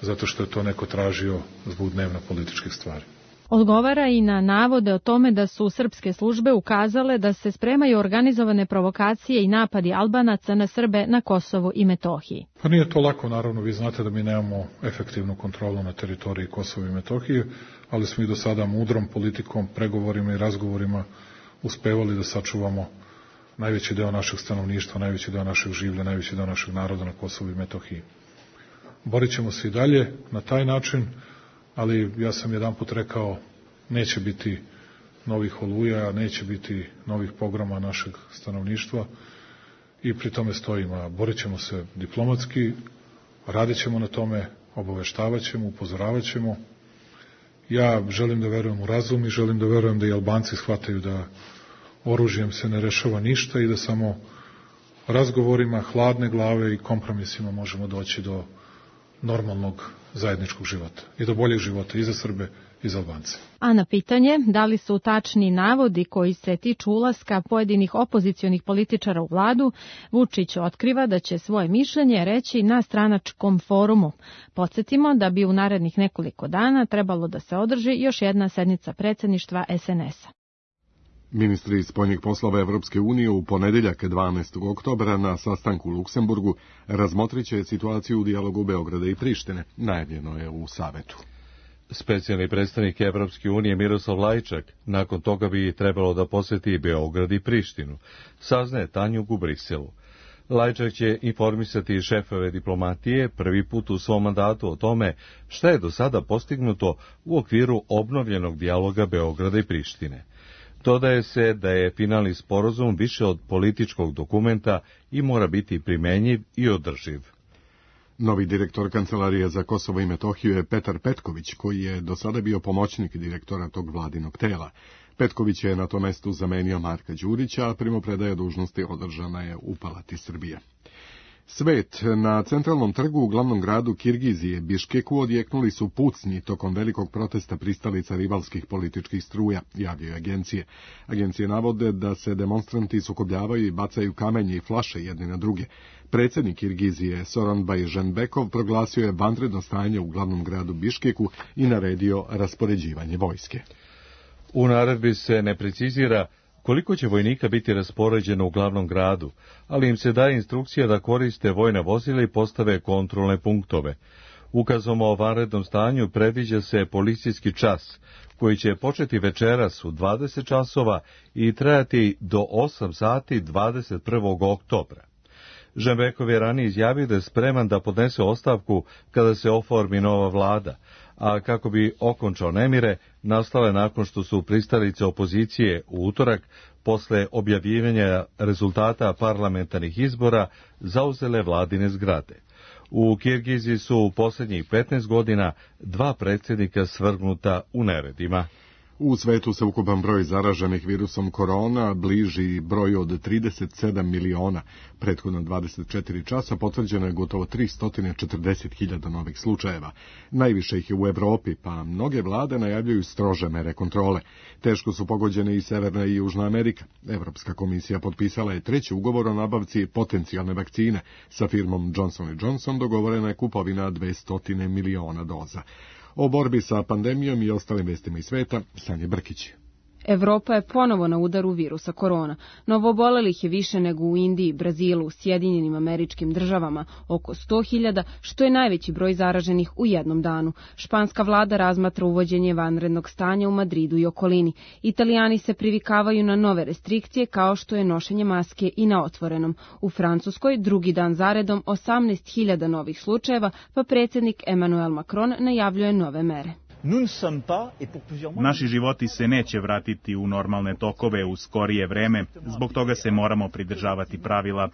zato što je to neko tražio zbog dnevno političkih stvari. Odgovara i na navode o tome da su srpske službe ukazale da se spremaju organizovane provokacije i napadi Albanaca na Srbe na Kosovu i Metohiji. Pa nije to lako, naravno, vi znate da mi nemamo efektivnu kontrolu na teritoriji Kosova i Metohije, ali smo i do sada mudrom politikom, pregovorima i razgovorima uspevali da sačuvamo najveći deo našeg stanovništva, najveći deo našeg življa, najveći deo našeg naroda na Kosovu i Metohiji. Borit ćemo se i dalje na taj način, ali ja sam jedanput rekao neće biti novih oluja, neće biti novih pogroma našeg stanovništva i pri tome stojimo. Borit ćemo se diplomatski, radit ćemo na tome, obaveštavat ćemo, upozoravat ćemo. Ja želim da verujem u razum i želim da verujem da i Albanci shvataju da oružjem se ne rešava ništa i da samo razgovorima, hladne glave i kompromisima možemo doći do normalnog zajedničkog života i do boljeg života i za Srbe i za Albance. A na pitanje da li su tačni navodi koji se tiču ulaska pojedinih opozicionih političara u vladu, Vučić otkriva da će svoje mišljenje reći na stranačkom forumu. Podsjetimo da bi u narednih nekoliko dana trebalo da se održi još jedna sednica predsjedništva SNS-a. Ministri spoljnih poslova Evropske unije u ponedeljak 12. oktobra na sastanku u Luksemburgu razmotrit će situaciju u dijalogu Beograda i Prištine, najavljeno je u Savetu. Specijalni predstavnik Evropske unije Miroslav Lajčak nakon toga bi trebalo da posjeti Beograd i Prištinu, saznaje Tanjug u Briselu. Lajčak će informisati šefove diplomatije prvi put u svom mandatu o tome šta je do sada postignuto u okviru obnovljenog dijaloga Beograda i Prištine. Dodaje se da je finalni sporazum više od političkog dokumenta i mora biti primenjiv i održiv. Novi direktor Kancelarije za Kosovo i Metohiju je Petar Petković, koji je do sada bio pomoćnik direktora tog vladinog tela. Petković je na tom mestu zamenio Marka Đurića, a primopredaja dužnosti održana je u Palati Srbije. Svet. Na centralnom trgu u glavnom gradu Kirgizije, Biškeku, odjeknuli su pucnji tokom velikog protesta pristalica rivalskih političkih struja, javljaju agencije. Agencije navode da se demonstranti sukobljavaju i bacaju kamenje i flaše jedni na druge. Predsjednik Kirgizije Soronbay Jeenbekov proglasio je vanredno stanje u glavnom gradu Biškeku i naredio raspoređivanje vojske. U naredbi se ne precizira koliko će vojnika biti raspoređeno u glavnom gradu, ali im se daje instrukcija da koriste vojna vozila i postave kontrolne punktove. Ukazom o vanrednom stanju predviđa se policijski čas, koji će početi večeras u 20 časova i trajati do 8 sati 21. oktobra. Jeenbekov je ranije izjavio da je spreman da podnese ostavku kada se oformi nova vlada, a kako bi okončao nemire, nastale nakon što su pristalice opozicije u utorak, posle objavljivanja rezultata parlamentarnih izbora, zauzele vladine zgrade. U Kirgiziji su u posljednjih 15 godina 2 predsjednika svrgnuta u neredima. U svetu se ukupan broj zaraženih virusom korona bliži broju od 37 miliona. Prethodno 24 časa potvrđeno je gotovo 340.000 novih slučajeva. Najviše ih je u Evropi, pa mnoge vlade najavljuju strože mere kontrole. Teško su pogođene i Severna i Južna Amerika. Evropska komisija potpisala je 3. ugovor o nabavci potencijalne vakcine. Sa firmom Johnson & Johnson dogovorena je kupovina 200 miliona doza. O borbi sa pandemijom i ostalim vestima iz sveta, Sanja Brkić. Evropa je ponovo na udaru virusa korona. Novoobolelih je više nego u Indiji, Brazilu, Sjedinjenim Američkim Državama, oko 100.000, što je najveći broj zaraženih u jednom danu. Španska vlada razmatra uvođenje vanrednog stanja u Madridu i okolini. Italijani se privikavaju na nove restrikcije kao što je nošenje maske i na otvorenom. U Francuskoj drugi dan zaredom 18.000 novih slučajeva, pa predsjednik Emmanuel Macron najavljuje nove mere. Naši životi se neće vratiti u normalne tokove u skorije vreme, zbog toga se moramo pridržavati pravila.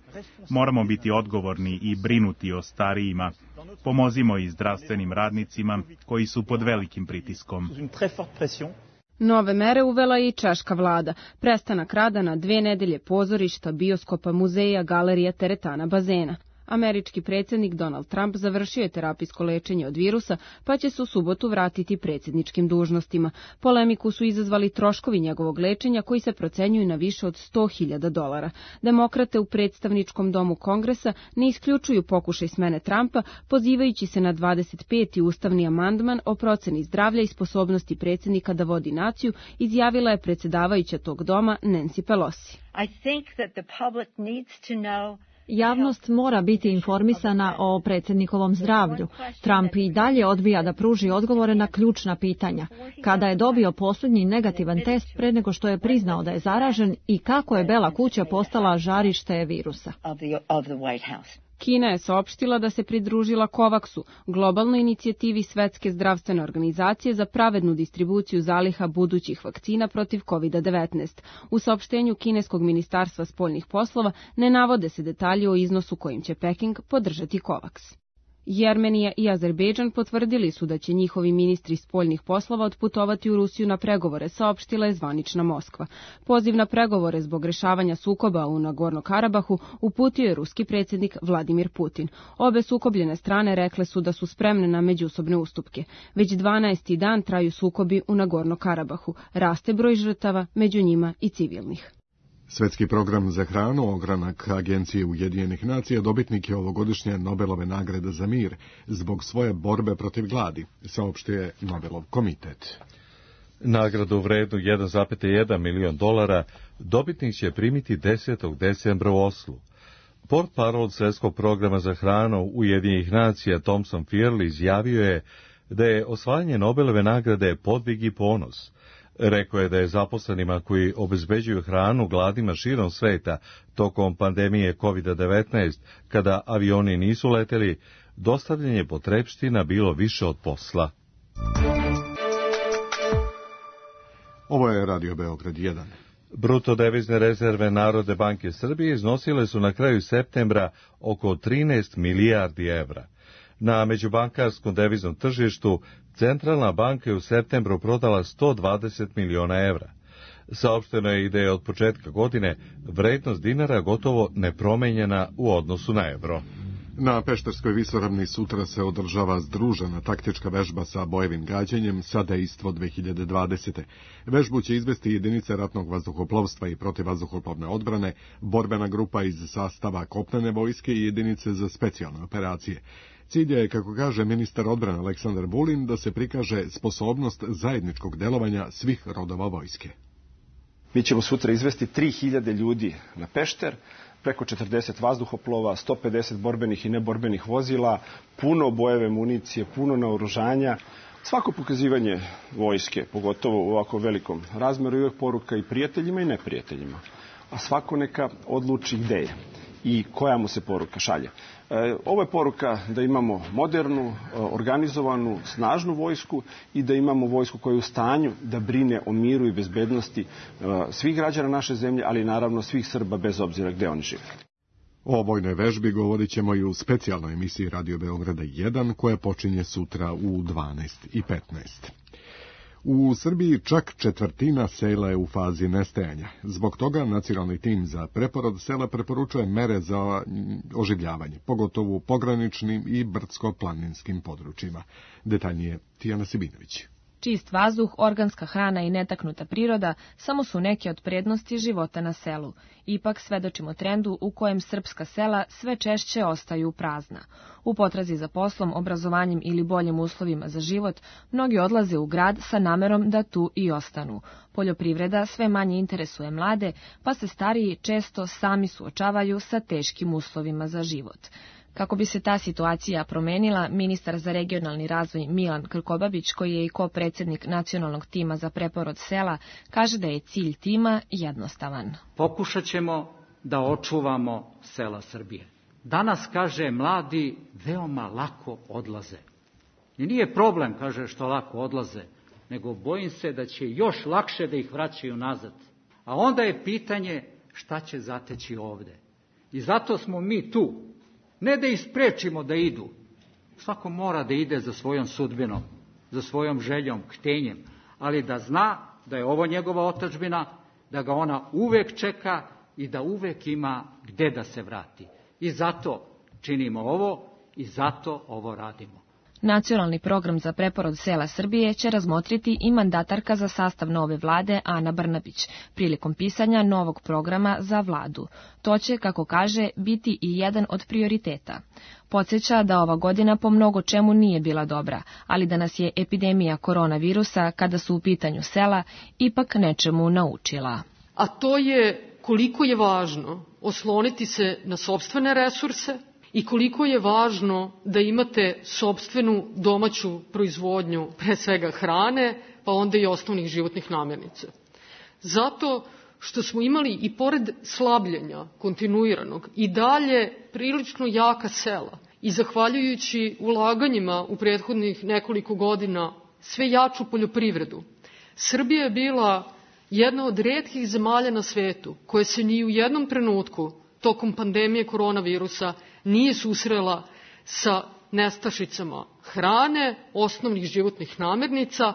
Moramo biti odgovorni i brinuti o starijima. Pomozimo i zdravstvenim radnicima koji su pod velikim pritiskom. Nove mere uvela je i češka vlada. Prestanak rada na 2 nedelje pozorišta, bioskopa, muzeja, galerija, teretana, bazena. Američki predsjednik Donald Trump završio je terapijsko lečenje od virusa, pa će se u subotu vratiti predsjedničkim dužnostima. Polemiku su izazvali troškovi njegovog lečenja koji se procenjuju na više od $100.000. Demokrate u predstavničkom domu Kongresa ne isključuju pokušaj smene Trumpa, pozivajući se na 25. ustavni amandman o proceni zdravlja i sposobnosti predsjednika da vodi naciju, izjavila je predsjedavajuća tog doma Nancy Pelosi. Javnost mora biti informisana o predsjednikovom zdravlju. Trump i dalje odbija da pruži odgovore na ključna pitanja. Kada je dobio posljednji negativan test pre nego što je priznao da je zaražen i kako je Bela kuća postala žarište virusa. Kina je saopštila da se pridružila COVAX-u, globalnoj inicijativi Svetske zdravstvene organizacije za pravednu distribuciju zaliha budućih vakcina protiv COVID-19. U saopštenju kineskog ministarstva spoljnih poslova ne navode se detalji o iznosu kojim će Peking podržati COVAX. Jermenija i Azerbejdžan potvrdili su da će njihovi ministri spoljnih poslova otputovati u Rusiju na pregovore, saopštila je zvanična Moskva. Poziv na pregovore zbog rešavanja sukoba u Nagorno-Karabahu uputio je ruski predsjednik Vladimir Putin. Obe sukobljene strane rekle su da su spremne na međusobne ustupke. Već 12. dan traju sukobi u Nagorno-Karabahu. Raste broj žrtava, među njima i civilnih. Svetski program za hranu, ogranak Agencije Ujedinjenih nacija, dobitnik je ovogodišnje Nobelove nagrade za mir zbog svoje borbe protiv gladi, saopštio Nobelov komitet. Nagradu vrednu $1,1 milion dobitnik će primiti 10. decembra u Oslu. Portparol Svetskog programa za hranu Ujedinjenih nacija Thomson Fearley izjavio je da je osvajanje Nobelove nagrade podvig i ponos. Rekao je da je zaposlenima koji obezbeđuju hranu gladnima širom sveta tokom pandemije COVID-19, kada avioni nisu leteli, dostavljanje potrepština bilo više od posla. Ovo je Radio Beograd 1. Bruto devizne rezerve Narodne banke Srbije iznosile su na kraju septembra oko 13 milijardi evra. Na međubankarskom deviznom tržištu Centralna banka je u septembru prodala 120 miliona evra. Saopšteno je i da je od početka godine vrednost dinara gotovo nepromenjena u odnosu na evro. Na Pešterskoj visoravni sutra se održava združena taktička vežba sa bojevim gađanjem sa dejstvo 2020. Vežbu će izvesti jedinice ratnog vazduhoplovstva i protivvazduhoplovne odbrane, borbena grupa iz sastava kopnene vojske i jedinice za specijalne operacije. Cilj je, kako kaže ministar odbrane Aleksandar Vulin, da se prikaže sposobnost zajedničkog delovanja svih rodova vojske. Mi ćemo sutra izvesti 3000 ljudi na Pešter, preko 40 vazduhoplova, 150 borbenih i neborbenih vozila, puno bojeve municije, puno naoružanja. Svako pokazivanje vojske, pogotovo u ovako velikom razmeru, je uvijek poruka i prijateljima i neprijateljima. A svako neka odluči gde je i koja mu se poruka šalje. Ovo je poruka da imamo modernu, organizovanu, snažnu vojsku i da imamo vojsku koja je u stanju da brine o miru i bezbednosti svih građana naše zemlje, ali naravno svih Srba bez obzira gde oni žive. O vojnoj vežbi govorit ćemo i u specijalnoj emisiji Radio Beograda 1 koja počinje sutra u 12:15. U Srbiji čak četvrtina sela je u fazi nestajanja. Zbog toga nacionalni tim za preporod sela preporučuje mere za oživljavanje, pogotovo u pograničnim i brdsko-planinskim područjima. Detaljnije Tijana Sibinović. Čist vazduh, organska hrana i netaknuta priroda samo su neke od prednosti života na selu. Ipak svedočimo trendu u kojem srpska sela sve češće ostaju prazna. U potrazi za poslom, obrazovanjem ili boljim uslovima za život, mnogi odlaze u grad sa namerom da tu i ostanu. Poljoprivreda sve manje interesuje mlade, pa se stariji često sami suočavaju sa teškim uslovima za život. Kako bi se ta situacija promenila, ministar za regionalni razvoj Milan Krkobabić, koji je i ko-predsjednik nacionalnog tima za preporod sela, kaže da je cilj tima jednostavan. Pokušat ćemo da očuvamo sela Srbije. Danas, kaže, mladi veoma lako odlaze. I nije problem, kaže, što lako odlaze, nego bojim se da će još lakše da ih vraćaju nazad. A onda je pitanje šta će zateći ovde. I zato smo mi tu. Ne da ih sprečimo da idu. Svako mora da ide za svojom sudbinom, za svojom željom, htenjem, ali da zna da je ovo njegova otadžbina, da ga ona uvek čeka i da uvek ima gde da se vrati. I zato činimo ovo i zato ovo radimo. Nacionalni program za preporod sela Srbije će razmotriti i mandatarka za sastav nove vlade Ana Brnabić prilikom pisanja novog programa za vladu. To će, kako kaže, biti i jedan od prioriteta. Podsjeća da ova godina po mnogo čemu nije bila dobra, ali da nas je epidemija koronavirusa, kada su u pitanju sela, ipak nečemu naučila. A to je koliko je važno osloniti se na sopstvene resurse, i koliko je važno da imate sopstvenu domaću proizvodnju, pre svega hrane, pa onda i osnovnih životnih namirnica. Zato što smo imali i pored slabljenja kontinuiranog i dalje prilično jaka sela i zahvaljujući ulaganjima u prethodnih nekoliko godina sve jaču poljoprivredu. Srbija je bila jedna od retkih zemalja na svetu koja se ni u jednom trenutku tokom pandemije koronavirusa nije susrela sa nestašicama hrane, osnovnih životnih namirnica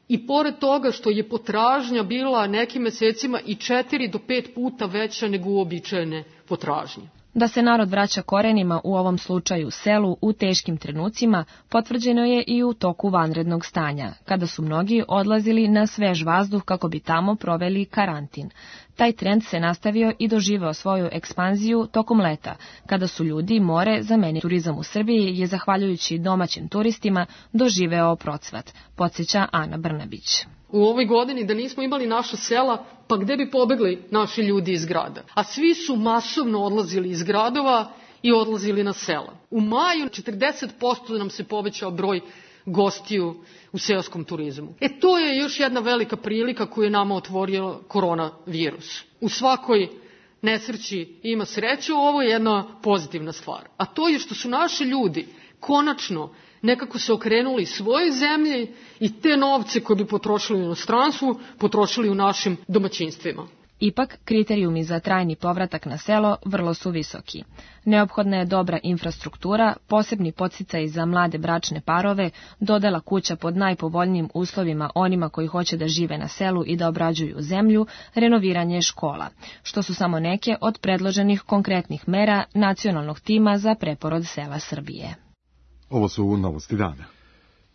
i pored toga što je potražnja bila nekim mesecima i 4 do 5 puta veća nego uobičajene potražnje. Da se narod vraća korenima, u ovom slučaju selu, u teškim trenucima, potvrđeno je i u toku vanrednog stanja, kada su mnogi odlazili na svež vazduh kako bi tamo proveli karantin. Taj trend se nastavio i doživeo svoju ekspanziju tokom leta, kada su ljudi more zamenili. Turizam u Srbiji je, zahvaljujući domaćim turistima, doživeo procvat, podsjeća Ana Brnabić. U ovoj godini da nismo imali naša sela, pa gde bi pobegli naši ljudi iz grada? A svi su masovno odlazili iz gradova i odlazili na sela. U maju 40% nam se povećao broj gostiju u seoskom turizmu. To je još jedna velika prilika koju je nama otvorio koronavirus. U svakoj nesreći ima sreću, ovo je jedna pozitivna stvar. A to je što su naši ljudi konačno nekako se okrenuli svojoj zemlji i te novce koje bi potrošili u inostranstvu, potrošili u našim domaćinstvima. Ipak, kriterijumi za trajni povratak na selo vrlo su visoki. Neophodna je dobra infrastruktura, posebni podsticaj za mlade bračne parove, dodela kuća pod najpovoljnijim uslovima onima koji hoće da žive na selu i da obrađuju zemlju, renoviranje škola, što su samo neke od predloženih konkretnih mera nacionalnog tima za preporod sela Srbije. Ovo su novosti dana.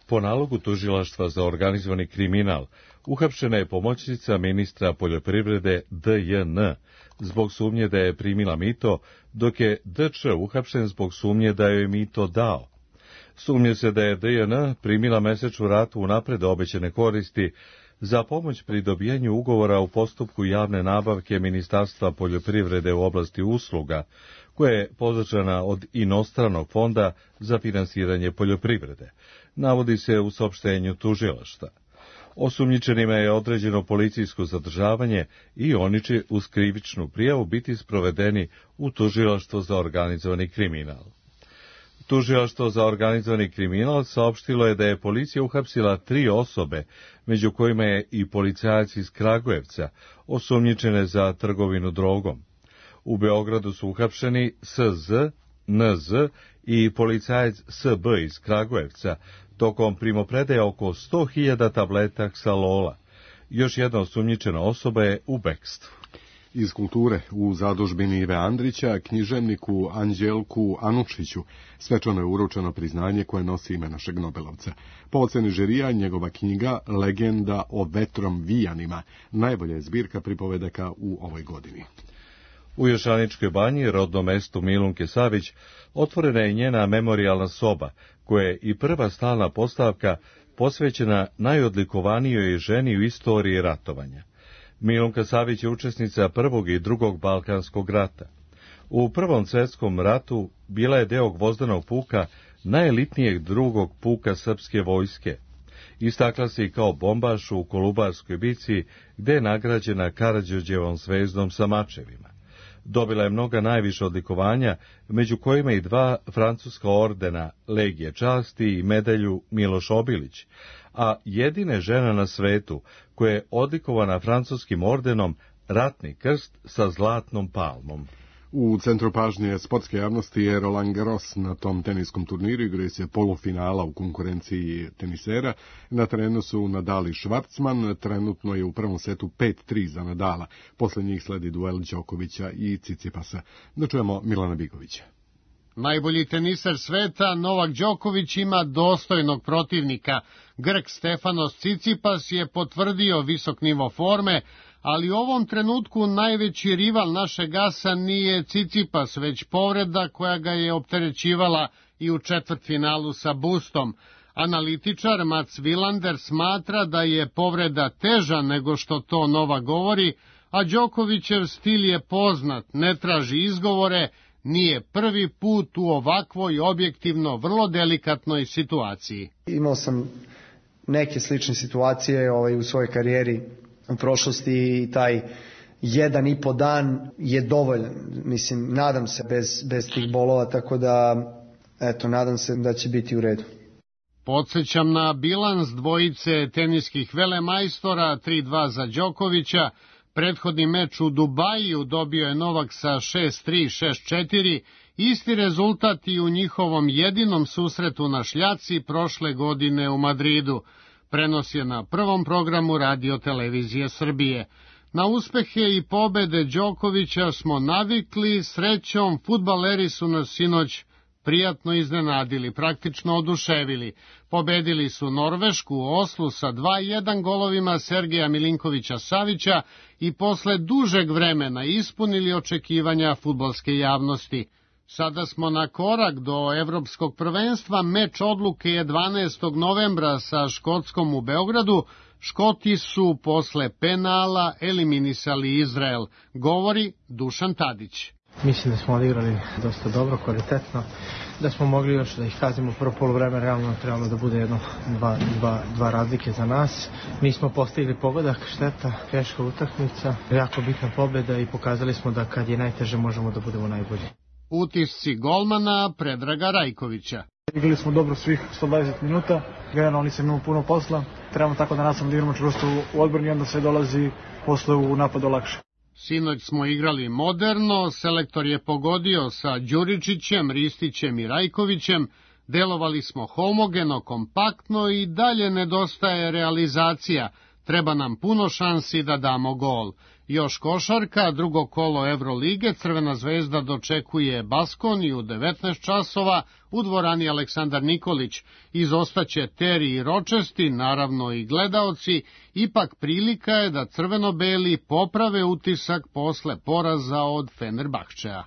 Po nalogu Tužilaštva za organizovani kriminal, uhapšena je pomoćnica ministra poljoprivrede D.J.N. zbog sumnje da je primila mito, dok je D.Č. uhapšen zbog sumnje da joj je mito dao. Sumnje se da je D.J.N. primila mesečnu ratu unapred obećane koristi za pomoć pri dobijanju ugovora u postupku javne nabavke Ministarstva poljoprivrede u oblasti usluga, koja je pozačana od inostranog fonda za finansiranje poljoprivrede, navodi se u saopštenju tužilaštva. Osumnjičenima je određeno policijsko zadržavanje i oni će uz krivičnu prijavu biti sprovedeni u Tužilaštvo za organizovani kriminal. Tužilaštvo za organizovani kriminal saopštilo je da je policija uhapsila 3 osobe, među kojima je i policajac iz Kragujevca, osumnjičene za trgovinu drogom. U Beogradu su uhapšeni S.Z., N.Z. i policajac S.B. iz Kragujevca, tokom primopredaje oko 100.000 tableta Xalola. Još jedna osumnjičena osoba je u bekstvu. Iz kulture, u zadužbini Ive Andrića, književniku Anđelku Anučiću svečano je uručeno priznanje koje nosi ime našeg Nobelovca. Po oceni žirija, njegova knjiga Legenda o vetrom vijanima najbolja je zbirka pripovedaka u ovoj godini. U Jošaničkoj banji, rodnom mestu Milunke Savić, otvorena je njena memorijalna soba, koja je i prva stalna postavka posvećena najodlikovanijoj ženi u istoriji ratovanja. Milunka Savić je učesnica Prvog i Drugog Balkanskog rata. U Prvom svjetskom ratu bila je deo gvozdanog puka, najelitnijeg drugog puka srpske vojske. Istakla se i kao bombaš u Kolubarskoj bici, gde je nagrađena Karađorđevom zvezdom sa mačevima. Dobila je mnoga najviša odlikovanja, među kojima i 2 francuska ordena, Legije časti i medalju Miloš Obilić, a jedine žena na svetu koja je odlikovana francuskim ordenom Ratni krst sa zlatnom palmom. U centru pažnje sportske javnosti je Roland Garros. Na tom teniskom turniru igraju se polufinala u konkurenciji tenisera. Na terenu su Nadal i Švarcman. Trenutno je u prvom setu 5-3 za Nadala. Posle njih sledi duel Đokovića i Cicipasa. Da čujemo Milana Bigovića. Najbolji teniser sveta, Novak Đoković, ima dostojnog protivnika. Grk Stefanos Cicipas je potvrdio visok nivo forme, ali u ovom trenutku najveći rival našeg asa nije Cicipas, već povreda koja ga je opterećivala i u četvrtfinalu sa Bustom. Analitičar Mats Wilander smatra da je povreda teža nego što to Novak govori, a Đokovićev stil je poznat, ne traži izgovore, nije prvi put u ovakvoj objektivno vrlo delikatnoj situaciji. Imao sam neke slične situacije u svojoj karijeri u prošlosti i taj 1,5 dan je dovoljan. Mislim, nadam se bez tih bolova, tako da, eto, nadam se da će biti u redu. Podsjećam na bilans dvojice teniskih velemajstora, 3-2 za Đokovića. Prethodni meč u Dubaju dobio je Novak sa 6-3, 6-4, isti rezultat i u njihovom jedinom susretu na šljaci prošle godine u Madridu. Prenos je na prvom programu Radio-televizije Srbije. Na uspehe i pobede Đokovića smo navikli, srećom fudbaleri su nas sinoć prijatno iznenadili, praktično oduševili. Pobedili su Norvešku u Oslu sa 2-1 golovima Sergeja Milinkovića-Savića i posle dužeg vremena ispunili očekivanja fudbalske javnosti. Sada smo na korak do evropskog prvenstva, meč odluke je 12. novembra sa Škotskom u Beogradu. Škoti su posle penala eliminisali Izrael, govori Dušan Tadić. Mislim da smo odigrali dosta dobro, kvalitetno, da smo mogli još da ih kazimo prvo poluvreme, realno trebalo da bude dva razlike za nas. Nismo postigli pogodak, šteta, teška utakmica, jako bitna pobjeda i pokazali smo da kad je najteže možemo da budemo najbolji. Utisci golmana Predraga Rajkovića. Igrali smo dobro svih 120 minuta, generalno nisam imao puno posla, trebamo tako da nastavimo da igramo čvrsto u odbrani i onda se dolazi posle u napadu lakše. Sinoć smo igrali moderno, selektor je pogodio sa Đuričićem, Ristićem i Rajkovićem, delovali smo homogeno, kompaktno i dalje nedostaje realizacija, treba nam puno šansi da damo gol. Još košarka, drugo kolo Evrolige, Crvena zvezda dočekuje Baskoniju u 19 časova u dvorani Aleksandar Nikolić. Izostaće Teri i Ročesti, naravno i gledaoci, ipak prilika je da crveno-beli poprave utisak posle poraza od Fenerbahčeja.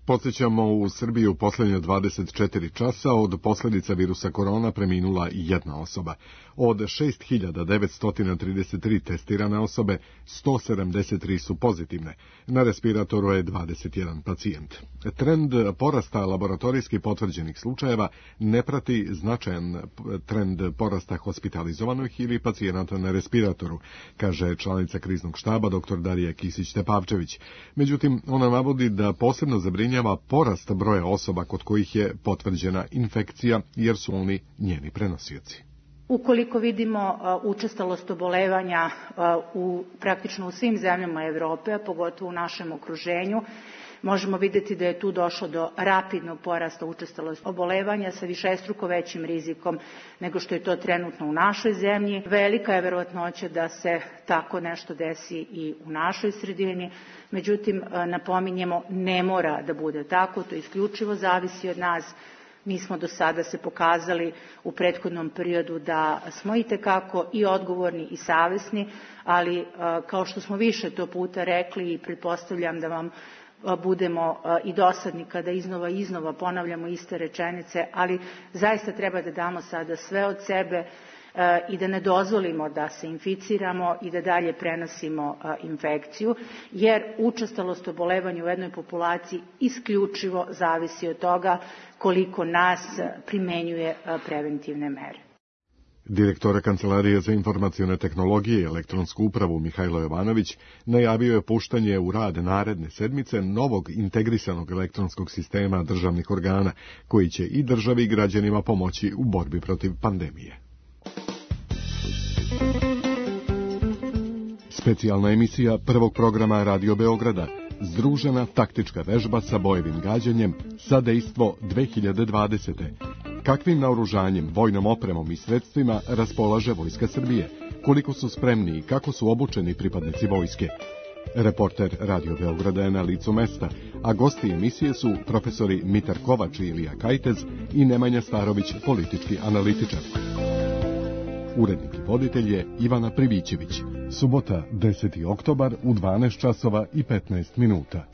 Podsjećamo, u Srbiji u posljednje 24 časa od posljedica virusa korona preminula jedna osoba. Od 6.933 testirane osobe, 173 su pozitivne. Na respiratoru je 21 pacijent. Trend porasta laboratorijski potvrđenih slučajeva ne prati značajan trend porasta hospitalizovanih ili pacijenata na respiratoru, kaže članica kriznog štaba dr. Darija Kisić-Tepavčević. Međutim, ona navodi da posebno zabrinjava porast broja osoba kod kojih je potvrđena infekcija, jer su oni njeni prenosioci. Ukoliko vidimo učestalost obolevanja praktično u svim zemljama Evrope, a pogotovo u našem okruženju, možemo vidjeti da je tu došlo do rapidnog porasta učestalosti obolevanja sa višestruko većim rizikom nego što je to trenutno u našoj zemlji. Velika je verovatnoća da se tako nešto desi i u našoj sredini, međutim, napominjemo, ne mora da bude tako, to isključivo zavisi od nas. Mi smo do sada se pokazali u prethodnom periodu da smo itekako i odgovorni i savesni, ali kao što smo više to puta rekli i pretpostavljam da vam budemo i dosadni kada iznova ponavljamo iste rečenice, ali zaista treba da damo sada sve od sebe i da ne dozvolimo da se inficiramo i da dalje prenosimo infekciju, jer učestalost obolevanja u jednoj populaciji isključivo zavisi od toga koliko nas primenjuje preventivne mere. Direktora Kancelarije za informacione tehnologije i elektronsku upravu Mihajlo Jovanović najavio je puštanje u rad naredne sedmice novog integrisanog elektronskog sistema državnih organa, koji će i državi i građanima pomoći u borbi protiv pandemije. Specijalna emisija prvog programa Radio Beograda, združena taktička vežba sa bojevim gađanjem, sadejstvo 2020. Kakvim naoružanjem, vojnom opremom i sredstvima raspolaže Vojska Srbije? Koliko su spremni i kako su obučeni pripadnici vojske? Reporter Radio Beograda je na licu mesta, a gosti emisije su profesori Mitar Kovač i Ilija Kajtez i Nemanja Starović, politički analitičar. Urednik i voditelj je Ivana Privićević. Subota, 10. oktobar u 12 časova i 15 minuta.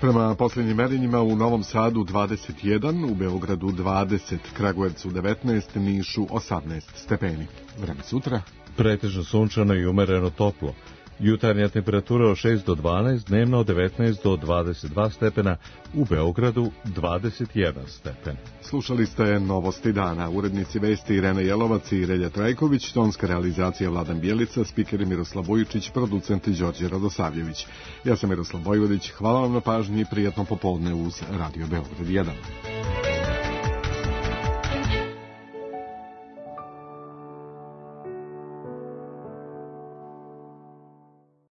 Prema posljednjim merenjima u Novom Sadu 21, u Beogradu 20, Kragujevcu 19, Nišu 18 stepeni. Vreme sutra? Pretežno sunčano i umereno toplo. Jutarnja temperatura od 6 do 12, dnevno od 19 do 22 stepena, u Beogradu 21 stepen. Slušali ste Novosti dana. Urednici vesti Irena Jelovac i Relja Trajković, tonska realizacija Vladan Bjelica, spiker Miroslav Vujičić, producent Đorđe Radosavljević. Ja sam Miroslav Vojvodić, hvala vam na pažnji i prijatno popodne uz Radio Beograd 1.